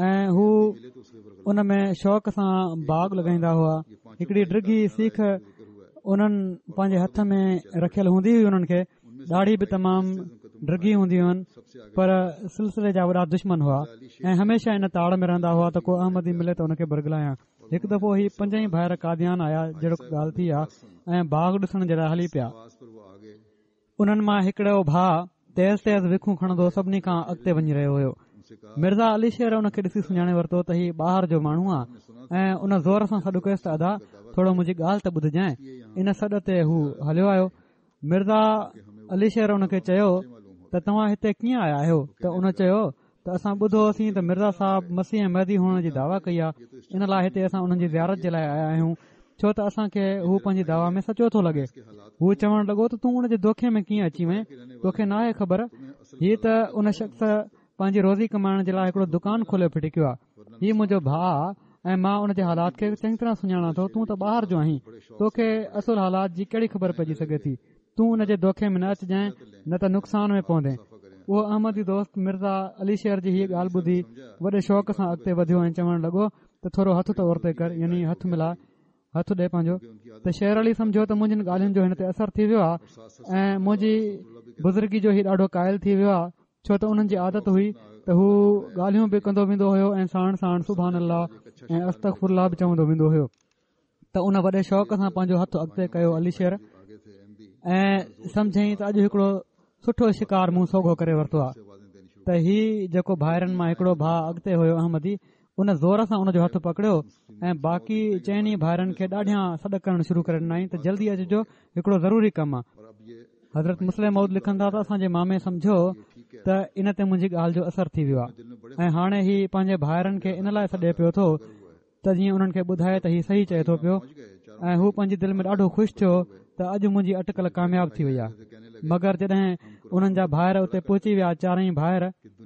۽ هو ان ۾ شوق سان باغ لڳائيندا هئا. هڪڙي ڊگهي سيخ انهن پنهنجي هٿ ۾ رکيل هوندي هئي. انهن کي ڏاڙهي به تمام ڊگهي هوندي هئن، پر سلسلي جا وڏا دشمن هئا ۽ هميشه ان تاڙ ۾ رهندا هئا ته ڪو احمدي ملي ته ان کي برغلايان. هڪ دفعو هي پنج ئي ڀائر قاديان آيا، جهڙو ڳالهه ٿي آهي، ۽ باغ ڏسڻ جي لاءِ هلي پيا. انهن مان هڪڙو ڀاءُ تيز تيز وکون کڻندو سڀني کان اڳتي وڃي رهيو هيو. مرزا علي شير ان کي ڏسي سڃاڻي ورتو ته هي ٻاهر جو ماڻهو آهي ۽ ان زور سان سڏ ڪيس ته ادا ٿورو منهنجي ڳالهه ته ٻڌجانءِ. ان سڏ تي هو هليو آيو. مرزا علي شير ان کي چيو ته توهان هتي ڪيئن آيا آهيو؟ ته ان چيو ته اسان ٻڌو هوسين ته مرزا صاحب مسيح ۽ مهدي هئڻ جي دعويٰ ڪئي آهي، ان لاءِ هتي اسان انهن جي زيارت جي لاءِ آيا آهيون، ڇو ته اسان کي هو پنهنجي دعويٰ ۾ سچو ٿو لڳي. هو چوڻ لڳو ته تون ان جي دوکي ۾ ڪيئن اچي وئين؟ توکي ناهي خبر هي ته ان شخص پنهنجي روزي ڪمائڻ جي لاءِ هڪڙو دڪان کولي ڦٽڪيو آهي. هي منهنجو ڀاءُ آهي ۽ مان ان جي حالات کي چڱي طرح سڃاڻان ٿو. تون ته ٻاهر جو آهين، توکي اصل حالات جي ڪهڙي خبر پئجي سگهي ٿي؟ تون ان جي دوکي ۾ نه اچجانءِ، نه ته نقصان ۾ پوندين. اهو احمدي دوست مرزا علي شير جي هيءَ ڳالهه ٻڌي وڏي شوق سان اڳتي وڌيو ۽ چوڻ لڳو ته ٿورو هٿ ته اورتي ڪر، يعني هٿ ملاءِ، هٿ ڏي پنهنجو. ته شير علي سمجهيو ته منهنجين ڳالهين جو هن تي اثر ٿي ويو آهي ۽ منهنجي بزرگي جو هي ڏاڍو قائل ٿي ويو آهي، ڇو ته انهن جي عادت هئي ته هو ڳالهيون به ڪندو ويندو هيو ۽ ساڻ ساڻ سبحان الله ۽ استغفر الله به چوندو ويندو هيو. ته ان وڏي شوق سان پنهنجو هٿ اڳتي ڪيو علي شير ۽ سمجهئين ته اڄ هڪڙو سٺو شڪار مون سوگهو ڪري ورتو آهي. ته هي جيڪو ڀائرن مان هڪڙو ڀاء اڳتي هيو احمدي، ان زور سان ان جو هٿ پڪڙيو ۽ باقي چئني ڀائرن کي ڏاڍيان سڏ ڪرڻ شروع ڪري ڏنائين ته جلدي اچجو، هڪڙو ضروري ڪم آ. حضرت مصلح موعود لکن ٿا ته اسان جي مامي سمجهيو ته ان تي منهنجي ڳالهه جو اثر ٿي ويو آ ۽ هاڻي هي پنهنجي ڀائرن کي ان لاء سڏي پيو ٿو ته جيئن انهن کي ٻڌائي ته هي صحيح چئي ٿو پيو ۽ هو پنهنجي دل ۾ ڏاڍو خوش ٿيو ته اڄ منهنجي اٽڪل ڪامياب ٿي وئي آهي. مگر جڏهن انهن جا ڀائر اتي پهچي ويا، چارئي ڀائر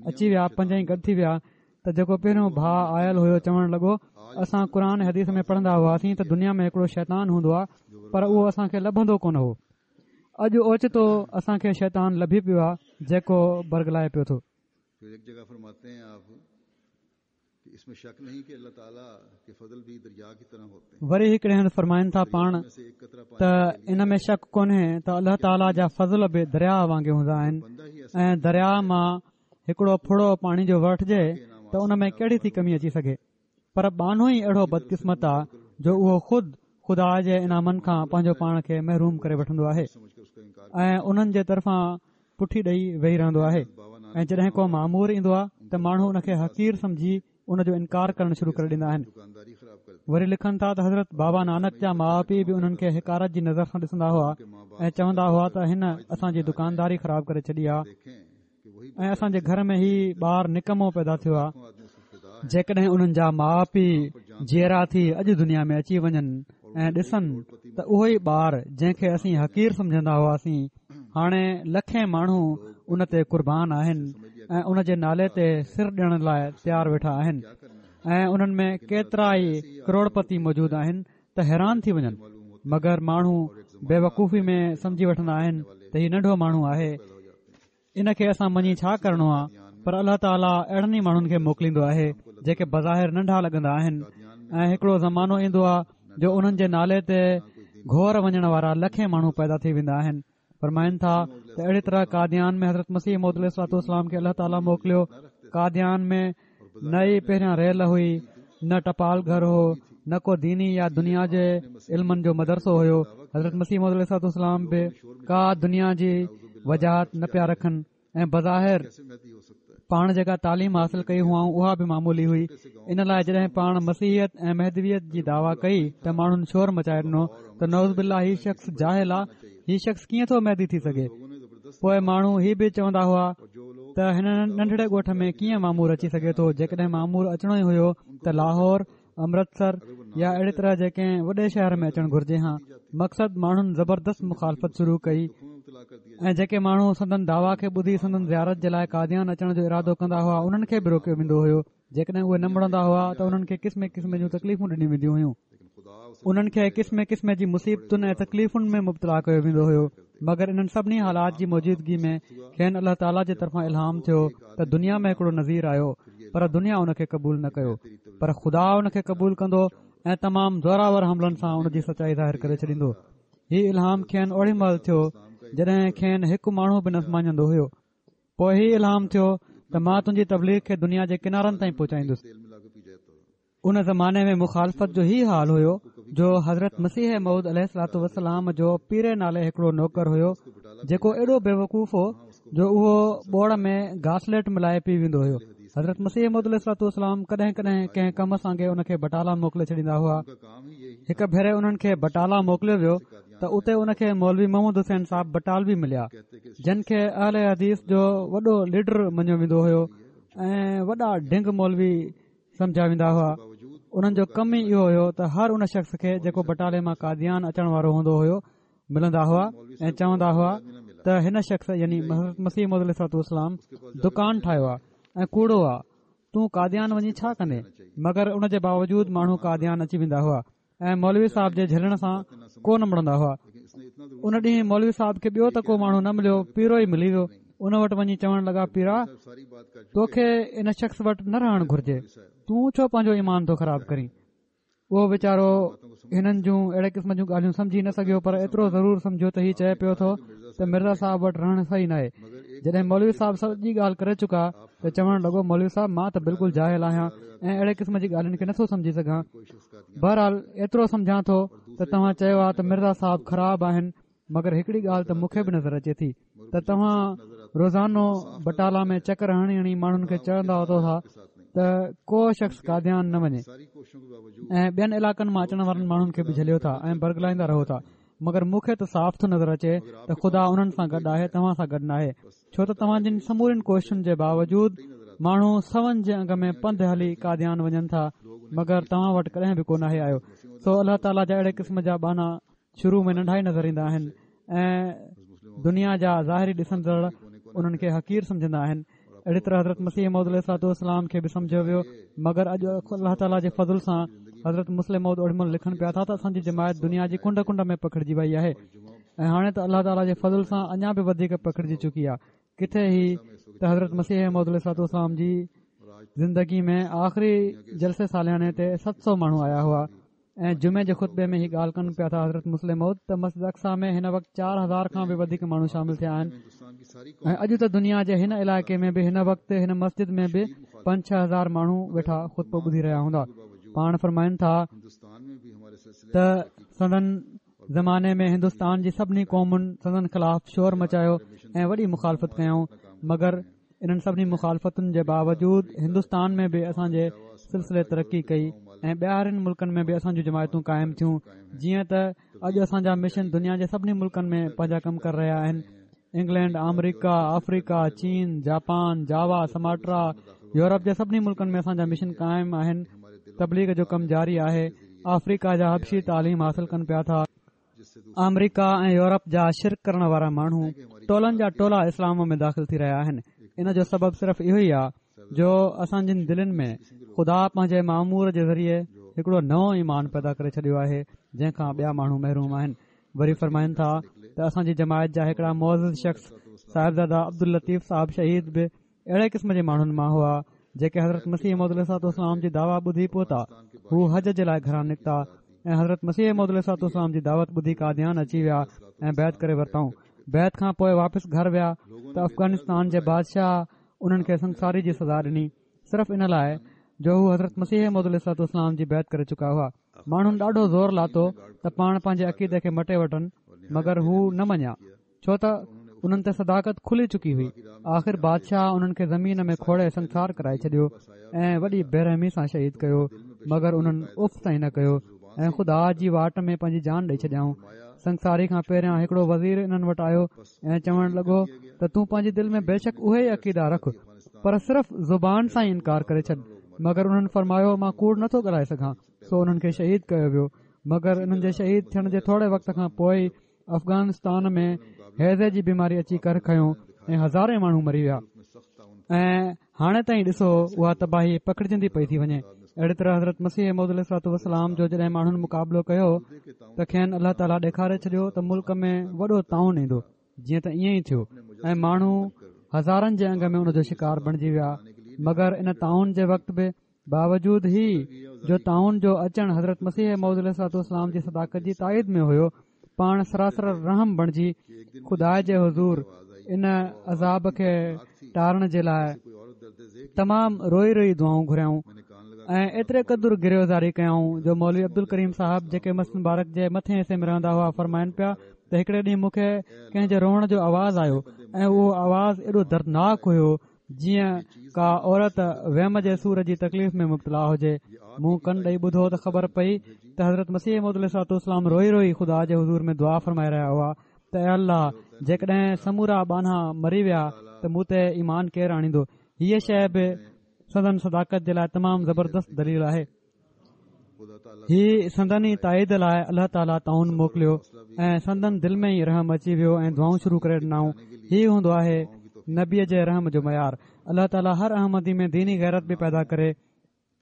اچي ويا، پنجئي گڏ ٿي ويا ته جيڪو پهريون ڀاء آيل هيو چوڻ لڳو، اسان قرآن حديث ۾ پڙهندا هئاسين ته دنيا ۾ هڪڙو شيطان هوندو آهي پر اهو اسان کي لڀندو ڪونه هو. اڄ اوچتو اسان کي شيطان لڀي پيو آهي جيڪو برغلائي پيو ٿو. وري هڪڙي هنڌ فرمائن ٿا پاڻ ته ان ۾ شڪ ڪونهي ته الله تعاليٰ جا فضل به درياء وانگي هوندا آهن ۽ درياء مان هڪڙو ڦڙو پاڻي جو وٺجي ته ان ۾ ڪهڙي ٿي ڪمي اچي سگهي، پر ٻانهو ئي اهڙو بدقسمت آ جو اهو خود خدا جي انعامن کان پنهنجو پاڻ کي محروم ڪري وٺندو آهي ۽ انهن جي طرفان پٺي ڏئي ويهي رهندو آهي ۽ جڏهن ڪو مامور ايندو آهي ته ماڻهو ان کي حقير سمجهي ان جو انڪار ڪرڻ شروع ڪري ڏيندا آهن. وري لکن ٿا ته حضرت بابا نانڪ جا ماء پيء به انهن کي حقارت جي نظر سان ڏسندا هئا ۽ چوندا هئا ته هن اسان جي دڪانداري خراب ڪري ڇڏي آهي ۽ اسان جي گهر ۾ هي ٻار نڪمو پيدا ٿيو آهي. جيڪڏهن انهن جا ماء پيء جيئرا ٿي اڄ دنيا ۾ اچي وڃن ۽ ڏسن ته اهو ئي ٻار جنهن کي اسين حقير سمجهندا هئاسين هاڻي لکين ماڻهو ان تي قربان آهن ۽ ان جي نالي تي سر ڏيڻ لاء تيار ويٺا آهن ۽ انهن ۾ ڪيترا ئي ڪروڙپتي موجود آهن ته حيران ٿي وڃن، مگر ماڻهو بيوقوفي ۾ سمجهي وٺندا آهن ته هي ننڍو ماڻهو آهي، ان کي اسان مڃي ڇا ڪرڻو آ، پر الله تعاليٰ اهڙن ئي ماڻهن کي موڪليندو آهي جيڪي بظاهر ننڍا لڳندا آهن ۽ هڪڙو زمانو ايندو آ جو انهن جي نالي تي گهور وڃڻ وارا لکين ماڻهو پيدا ٿي ويندا آهن. فرمائن ٿا ته اهڙي طرح قاديان ۾ حضرت مسيح موعود عليه الصلوة والسلام کي الله تعاليٰ موڪليو. قاديان ۾ نه ئي پهريان ريل هئي، نه ٽپال گهر هو، نه ڪو ديني يا دنيا جي علمن جو مدرسو هيو. حضرت مسيح موعود عليه الصلوة والسلام به ڪا دنيا جي وجاهت نه پيا رکن ۽ بظاهر پاڻ جيڪا تعليم حاصل ڪئي هئائون اها به معمولي هئي. ان لاء جڏهن پاڻ مسيحيت ۽ مهدويت جي دعويٰ ڪئي ته ماڻهن شور مچائي ڏنو ته نعوذ بالله هي شخص جاهل آ، هي شخص ڪيئن ٿو مهدي ٿي سگهي؟ پوء ماڻهو هي به چوندا هئا ته هن ننڍڙي ڳوٺ ۾ ڪيئن مامور اچي سگهي ٿو، جيڪڏهن مامور اچڻو ئي هيو ته لاهور، امرتسر يا اهڙي طرح جي ڪنهن وڏي شهر ۾ اچڻ گهرجي هان. مقصد ماڻهن زبردست مخالفت شروع ڪئي ۽ جيڪي ماڻهو سندن دعويٰ کي ٻڌي سندن زيارت جي لاء قاديان اچڻ جو ارادو ڪندا هئا انهن کي به روڪيو ويندو هيو. جيڪڏهن اهي نه مڙندا هئا ته انهن کي قسم قسم جون تڪليفون ڏنيون وينديون هيون. انهن کي قسم قسم جي مصيبتن ۽ تڪليفن ۾ مبتلا ڪيو ويندو هيو مگر انهن سڀني حالات جي موجودگي ۾ کين الله تعاليٰ جي طرفان الهام ٿيو ته دنيا ۾ هڪڙو نذير آيو پر دنيا ان کي قبول نه ڪيو پر خدا ان کي قبول ڪندو ۽ تمام زوراور حملن سان ان جي سچائي ظاهر ڪري ڇڏيندو. هي الهام کين اوڏي مهل ٿيو جڏهن کين هڪ ماڻهو به نه مڃيندو هيو. پوء هي الهام ٿيو ته مان تنهنجي تبليغ کي دنيا جي ڪنارن تائين پهچائيندس. ان زماني ۾ مخالفت جو هي حال هيو جو حضرت مسيح موعود عليه الصلوة والسلام جو پيري نالي هڪڙو نوڪر هيو جيڪو ايڏو بيوقوف هو جو اهو ٻوڙ ۾ گاسليٽ ملائي پي ويندو هيو. حضرت مسيح موعود عليه الصلوة والسلام ڪڏهن ڪڏهن ڪنهن ڪم سانگي ان کي بٽالا موڪلي ڇڏيندا هئا. هڪ ڀيري انهن کي بٽالا موڪليو ويو ته اتي ان کي مولوي محمد حسين صاحب بٽالوي مليا جن کي اهل حديث جو وڏو ليڊر مڃيو ويندو هيو ۽ وڏا ڍنگ مولوي سمجهيا ويندا هئا انهن جو ڪم ئي اهو هيو ته هر ان شخص کي جيڪو بٽالي مان قاديان اچڻ وارو هوندو هيو ملندا هئا ۽ چوندا هئا ته هن شخص يعني حضرت مسيح موعود عليه الصلوة والسلام دڪان ٺاهيو آهي ۽ ڪوڙو آهي تون قاديان وڃي ڇا ڪندين مگر ان جي باوجود ماڻهو قاديان اچي ويندا هئا ۽ مولوي صاحب جي جهلڻ سان ڪو نه مڙندا هئا ان ڏينهن مولوي صاحب کي ٻيو ته ڪو ماڻهو نه مليو پيرو ئي ملي ويو ان وٽ وڃي چوڻ لڳا پيرا توکي ان شخص وٽ نه رهڻ گهرجي تون ڇو پنهنجو ايمان ٿو خراب ڪرين اهو ويچارو هنن جون اهڙي قسم جون ڳالهيون سمجهي نه سگهيو پر ايترو ضرور سمجهيو ته هي چئي پيو ٿو ته مرزا صاحب وٽ رهڻ صحيح ناهي جڏهن مولوي صاحب سڄي ڳالهه ڪري چڪا ته چوڻ لڳو مولوي صاحب مان ته بلڪل جاهل آهيان ۽ اهڙي قسم جي ڳالهين کي نٿو سمجهي سگهان بهرحال ايترو سمجهان ٿو ته توهان چيو آهي ته مرزا صاحب خراب آهن مگر هڪڙي ڳالهه ته مون کي به نظر اچي ٿي ته توهان روزانو بٽالا ۾ چڪر هڻي هڻي ماڻهن کي چوندا وتو ٿا ته ڪو شخص قاديان نه وڃي ۽ ٻين علائقن مان اچڻ وارن ماڻهن کي به جهليو ٿا ۽ برغلائيندا رهو ٿا، مگر مون کي ته صاف ٿو نظر اچي ته خدا انهن سان گڏ آهي، توهان سان گڏ ناهي، ڇو ته توهان جن سمورين ڪوششن جي باوجود ماڻهو سون جي انگ ۾ پنڌ هلي قاديان وڃن ٿا، مگر توهان وٽ ڪڏهن به ڪو ناهي آيو. سو الله تعاليٰ جا اهڙي قسم جا ٻانها شروع ۾ ننڍا ئي نظر ايندا آهن ۽ دنيا جا ظاهري ڏسندڙ انهن کي حقير سمجهندا آهن. اهڙي طرح حضرت مسيح موعود عليه الصلوة والسلام کي به سمجهيو ويو، مگر اڄ الله تعاليٰ جي فضل سان حضرت مصلح موعود اوڏي مهل لکن پيا ٿا ته اسان جي جماعت دنيا جي ڪنڊ ڪنڊ ۾ پکڙجي وئي آهي ۽ هاڻي ته الله تعاليٰ جي فضل سان اڃا به وڌيڪ پکڙجي چڪي آهي. ڪٿي هي ته حضرت مسيح موعود عليه الصلوة والسلام جي زندگي ۾ آخري جلسي سالياني تي ست سؤ ماڻهو آيا هئا ۽ جمعي جي خطبي ۾ هي ڳالهه ڪن پيا ٿا حضرت مصلح موعود ته مسجد اقصيٰ ۾ هن وقت چار هزار کان به وڌيڪ ماڻهو شامل ٿيا آهن ۽ اڄ ته دنيا جي هن علائقي ۾ به هن وقت هن مسجد ۾ به پنج ڇهه هزار ماڻهو ويٺا خطبو ٻڌي رهيا هوندا. پاڻ فرمائن ٿا ته سندن زماني ۾ هندستان جي سڀني قومن سندن خلاف شور مچايو ۽ وڏي مخالفت ڪيائون، مگر انهن سڀني مخالفتن جي باوجود هندستان ۾ به اسان جي سلسلي ترقي ڪئي ۽ ٻاهرين ملڪن ۾ به اسان جون جماعتون قائم ٿيون. جيئن ته اڄ اسان جا مشن دنيا جي سڀني ملڪن ۾ پنهنجا ڪم ڪري رهيا آهن. انگلينڊ، آمريڪا، آفريڪا، چين، جاپان، جاوا، سماٽرا، يورپ جي سڀني ملڪن ۾ اسان جا مشن قائم آهن. تبليغ جو ڪم جاري آهي. آفريڪا جا حبشي تعليم حاصل ڪن پيا ٿا. آمريڪا ۽ يورپ جا شرڪ ڪرڻ وارا ماڻهو ٽولن جا ٽولا اسلام ۾ داخل ٿي رهيا آهن. ان جو سبب صرف اهو ئي آهي جو اسان جن دلين ۾ خدا پنهنجي مامور جي ذريعي هڪڙو نئون ايمان پيدا ڪري ڇڏيو آهي، جنهن کان ٻيا ماڻهو محروم آهن. وري فرمائن ٿا ته اسان جي جماعت جا هڪڙا معزز شخص صاحبزاده عبداللطيف صاحب شهيد به اهڙي قسم جي ماڻهن مان هئا، جيڪي حضرت مسيح موعود عليه الصلوة والسلام جي دعويٰ ٻڌي پهتا. هو حج جي لاءِ گهران نڪتا ۽ حضرت مسيح موعود عليه الصلوة والسلام جي دعوت ٻڌي قاديان اچي ويا ۽ بيعت ڪري ورتائون. بيعت کان پوءِ واپس گهر ويا ته افغانستان جي بادشاهه انهن کي سنگساري جي سزا ڏني، صرف ان لاءِ جو هو حضرت مسيح موعود عليه الصلوة والسلام جي بيعت ڪري چڪا هئا. ماڻهن ڏاڍو زور لاتو ته پاڻ پنهنجي عقيدي کي مٽي وٺن، مگر هو نه مڃيا، ڇو ته انهن تي صداقت کلي چڪي هئي. آخر بادشاهه انهن کي زمين ۾ کوڙي سنگسار ڪرائي ڇڏيو ۽ وڏي بيرحمي سان شهيد ڪيو، مگر انهن اف تائين نه ڪيو ۽ خدا جي واٽ ۾ پنهنجي جان ڏئي ڇڏيائون. سنگساري کان پهريان هڪڙو وزير انهن وٽ آيو ۽ چوڻ لڳو ته تون پنهنجي دل ۾ بيشڪ اهي ئي عقيدا رک، پر صرف زبان سان ئي انڪار ڪري ڇڏ. مگر انهن فرمايو، مان ڪوڙ نٿو ڳالهائي سگهان. سو انهن کي شهيد ڪيو ويو، مگر انهن جي شهيد ٿيڻ جي ٿوري وقت کان پوءِ ئي افغانستان ۾ هيضي جي بيماري اچي ڪر کنيو ۽ هزارين ماڻهو مري ويا ۽ هاڻي تائين ڏسو اها تباهي پکڙجندي پئي ٿي وڃي. اهڙي طرح حضرت مسيح موعود عليه الصلوة والسلام جو جڏهن ماڻهن مقابلو ڪيو ته کين الله تعاليٰ ڏيکاري ڇڏيو ته ملڪ ۾ وڏو طاعون ايندو، جيئن ته ائين ئي ٿيو ۽ ماڻهو هزارن جي انگ ۾ ان جو شڪار بڻجي ويا. مگر ان طاعون جي وقت به باوجود هي جو طاعون جو اچڻ حضرت مسيح موعود عليه الصلوة والسلام جي صداقت جي تائيد ۾ هيو، پاڻ سراسر رحم بڻجي خدا جي حضور ان عذاب کي ٽارڻ جي لاءِ تمام روئي روئي دعائون گهريائون ۽ ايتري قدر گريه زاري ڪيائون جو مولوي عبدالڪريم صاحب جيڪي مسجد مبارڪ جي مٿين حصي ۾ رهندا هئا فرمائن پيا ته هڪڙي ڏينهن مون کي ڪنهن جي روئڻ جو آواز آيو ۽ اهو آواز ايڏو دردناڪ هيو جيئن ڪا عورت ويم جي سور جي تڪليف ۾ مبتلا هجي. مون ڪن ڏئي ٻڌو ته خبر پئي ته حضرت مسيح موعود عليه الصلوة والسلام روئي روئي خدا جي حضور ۾ دعا فرمائي رهيا هئا ته اي الله جيڪڏهن سمورا ٻانها مري ويا ته مون تي ايمان ڪير آڻيندو. هيء شيء به سندن صداقت جي لاءِ تمام زبردست دليل آهي. هي سندن ئي تائيد لاءِ الله تعاليٰ طاعون موڪليو ۽ سندن دل ۾ ئي رحم اچي ويو ۽ دعائون شروع ڪري ڏنائون. هي هوندو آهي نبيء جي رحم جو معيار. الله تعاليٰ هر احمدي ۾ ديني غيرت به پيدا ڪري،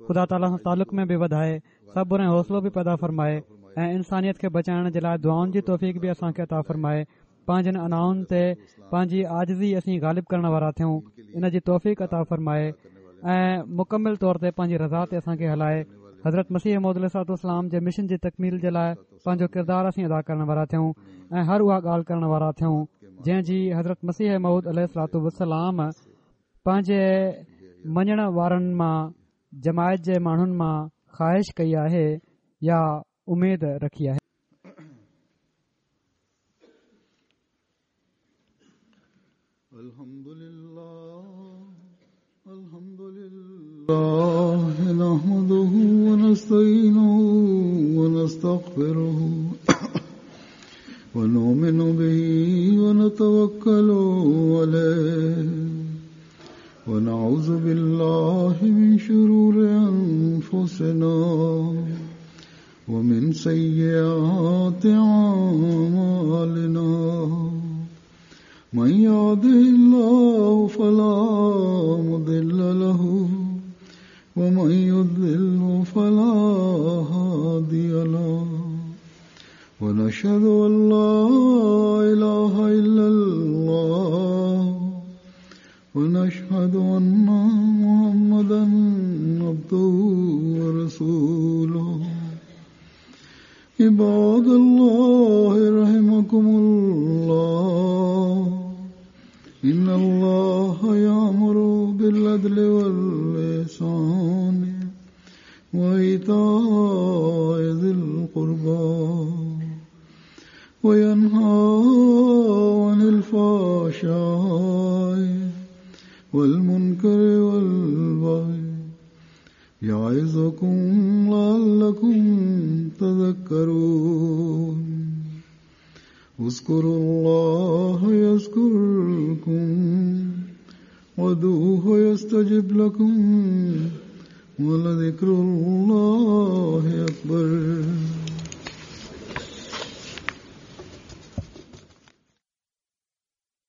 خدا تعاليٰ سان تعلق ۾ به وڌائي، صبر ۽ حوصلو به پيدا فرمائي ۽ انسانيت کي بچائڻ جي لاءِ دعائن جي توفيق به اسان کي عطا فرمائي. پنهنجن انائن تي پنهنجي عاجزي اسين غالب ڪرڻ وارا ٿيون، ان جي توفيق عطا فرمائي ۽ مڪمل طور تي پنهنجي رضا تي اسان کي هلائي. حضرت مسيح موعود عليه الصلوة والسلام جي مشن جي تڪميل جي لاءِ پنهنجو ڪردار اسين ادا ڪرڻ وارا ٿيون ۽ هر اها ڳالهه ڪرڻ وارا ٿيون جنهن جي حضرت مسيح موعود عليه الصلوة والسلام پنهنجي مڃڻ وارن مان جماعت جي ماڻهن مان خواهش ڪئي آهي يا اميد رکي آهي. الله نحمده ونستعينه ونستغفره ونؤمن به ونتوكل عليه ونعوذ بالله من شرور أنفسنا ومن سيئات أعمالنا من يهده الله فلا مضل له ومن يضلل فلا هادي له ونشهد أن لا إله إلا الله ونشهد أن محمدا عبده ورسوله. عباد الله رحمكم الله إن الله يأمر بالعدل والإحسان وإيتاء ذي القربى وينهى عن الفحشاء والمنكر والبغي يعظكم لعلكم تذكرون. اذكروا الله يذكركم وادعوه يستجب لكم ولذكر الله أكبر.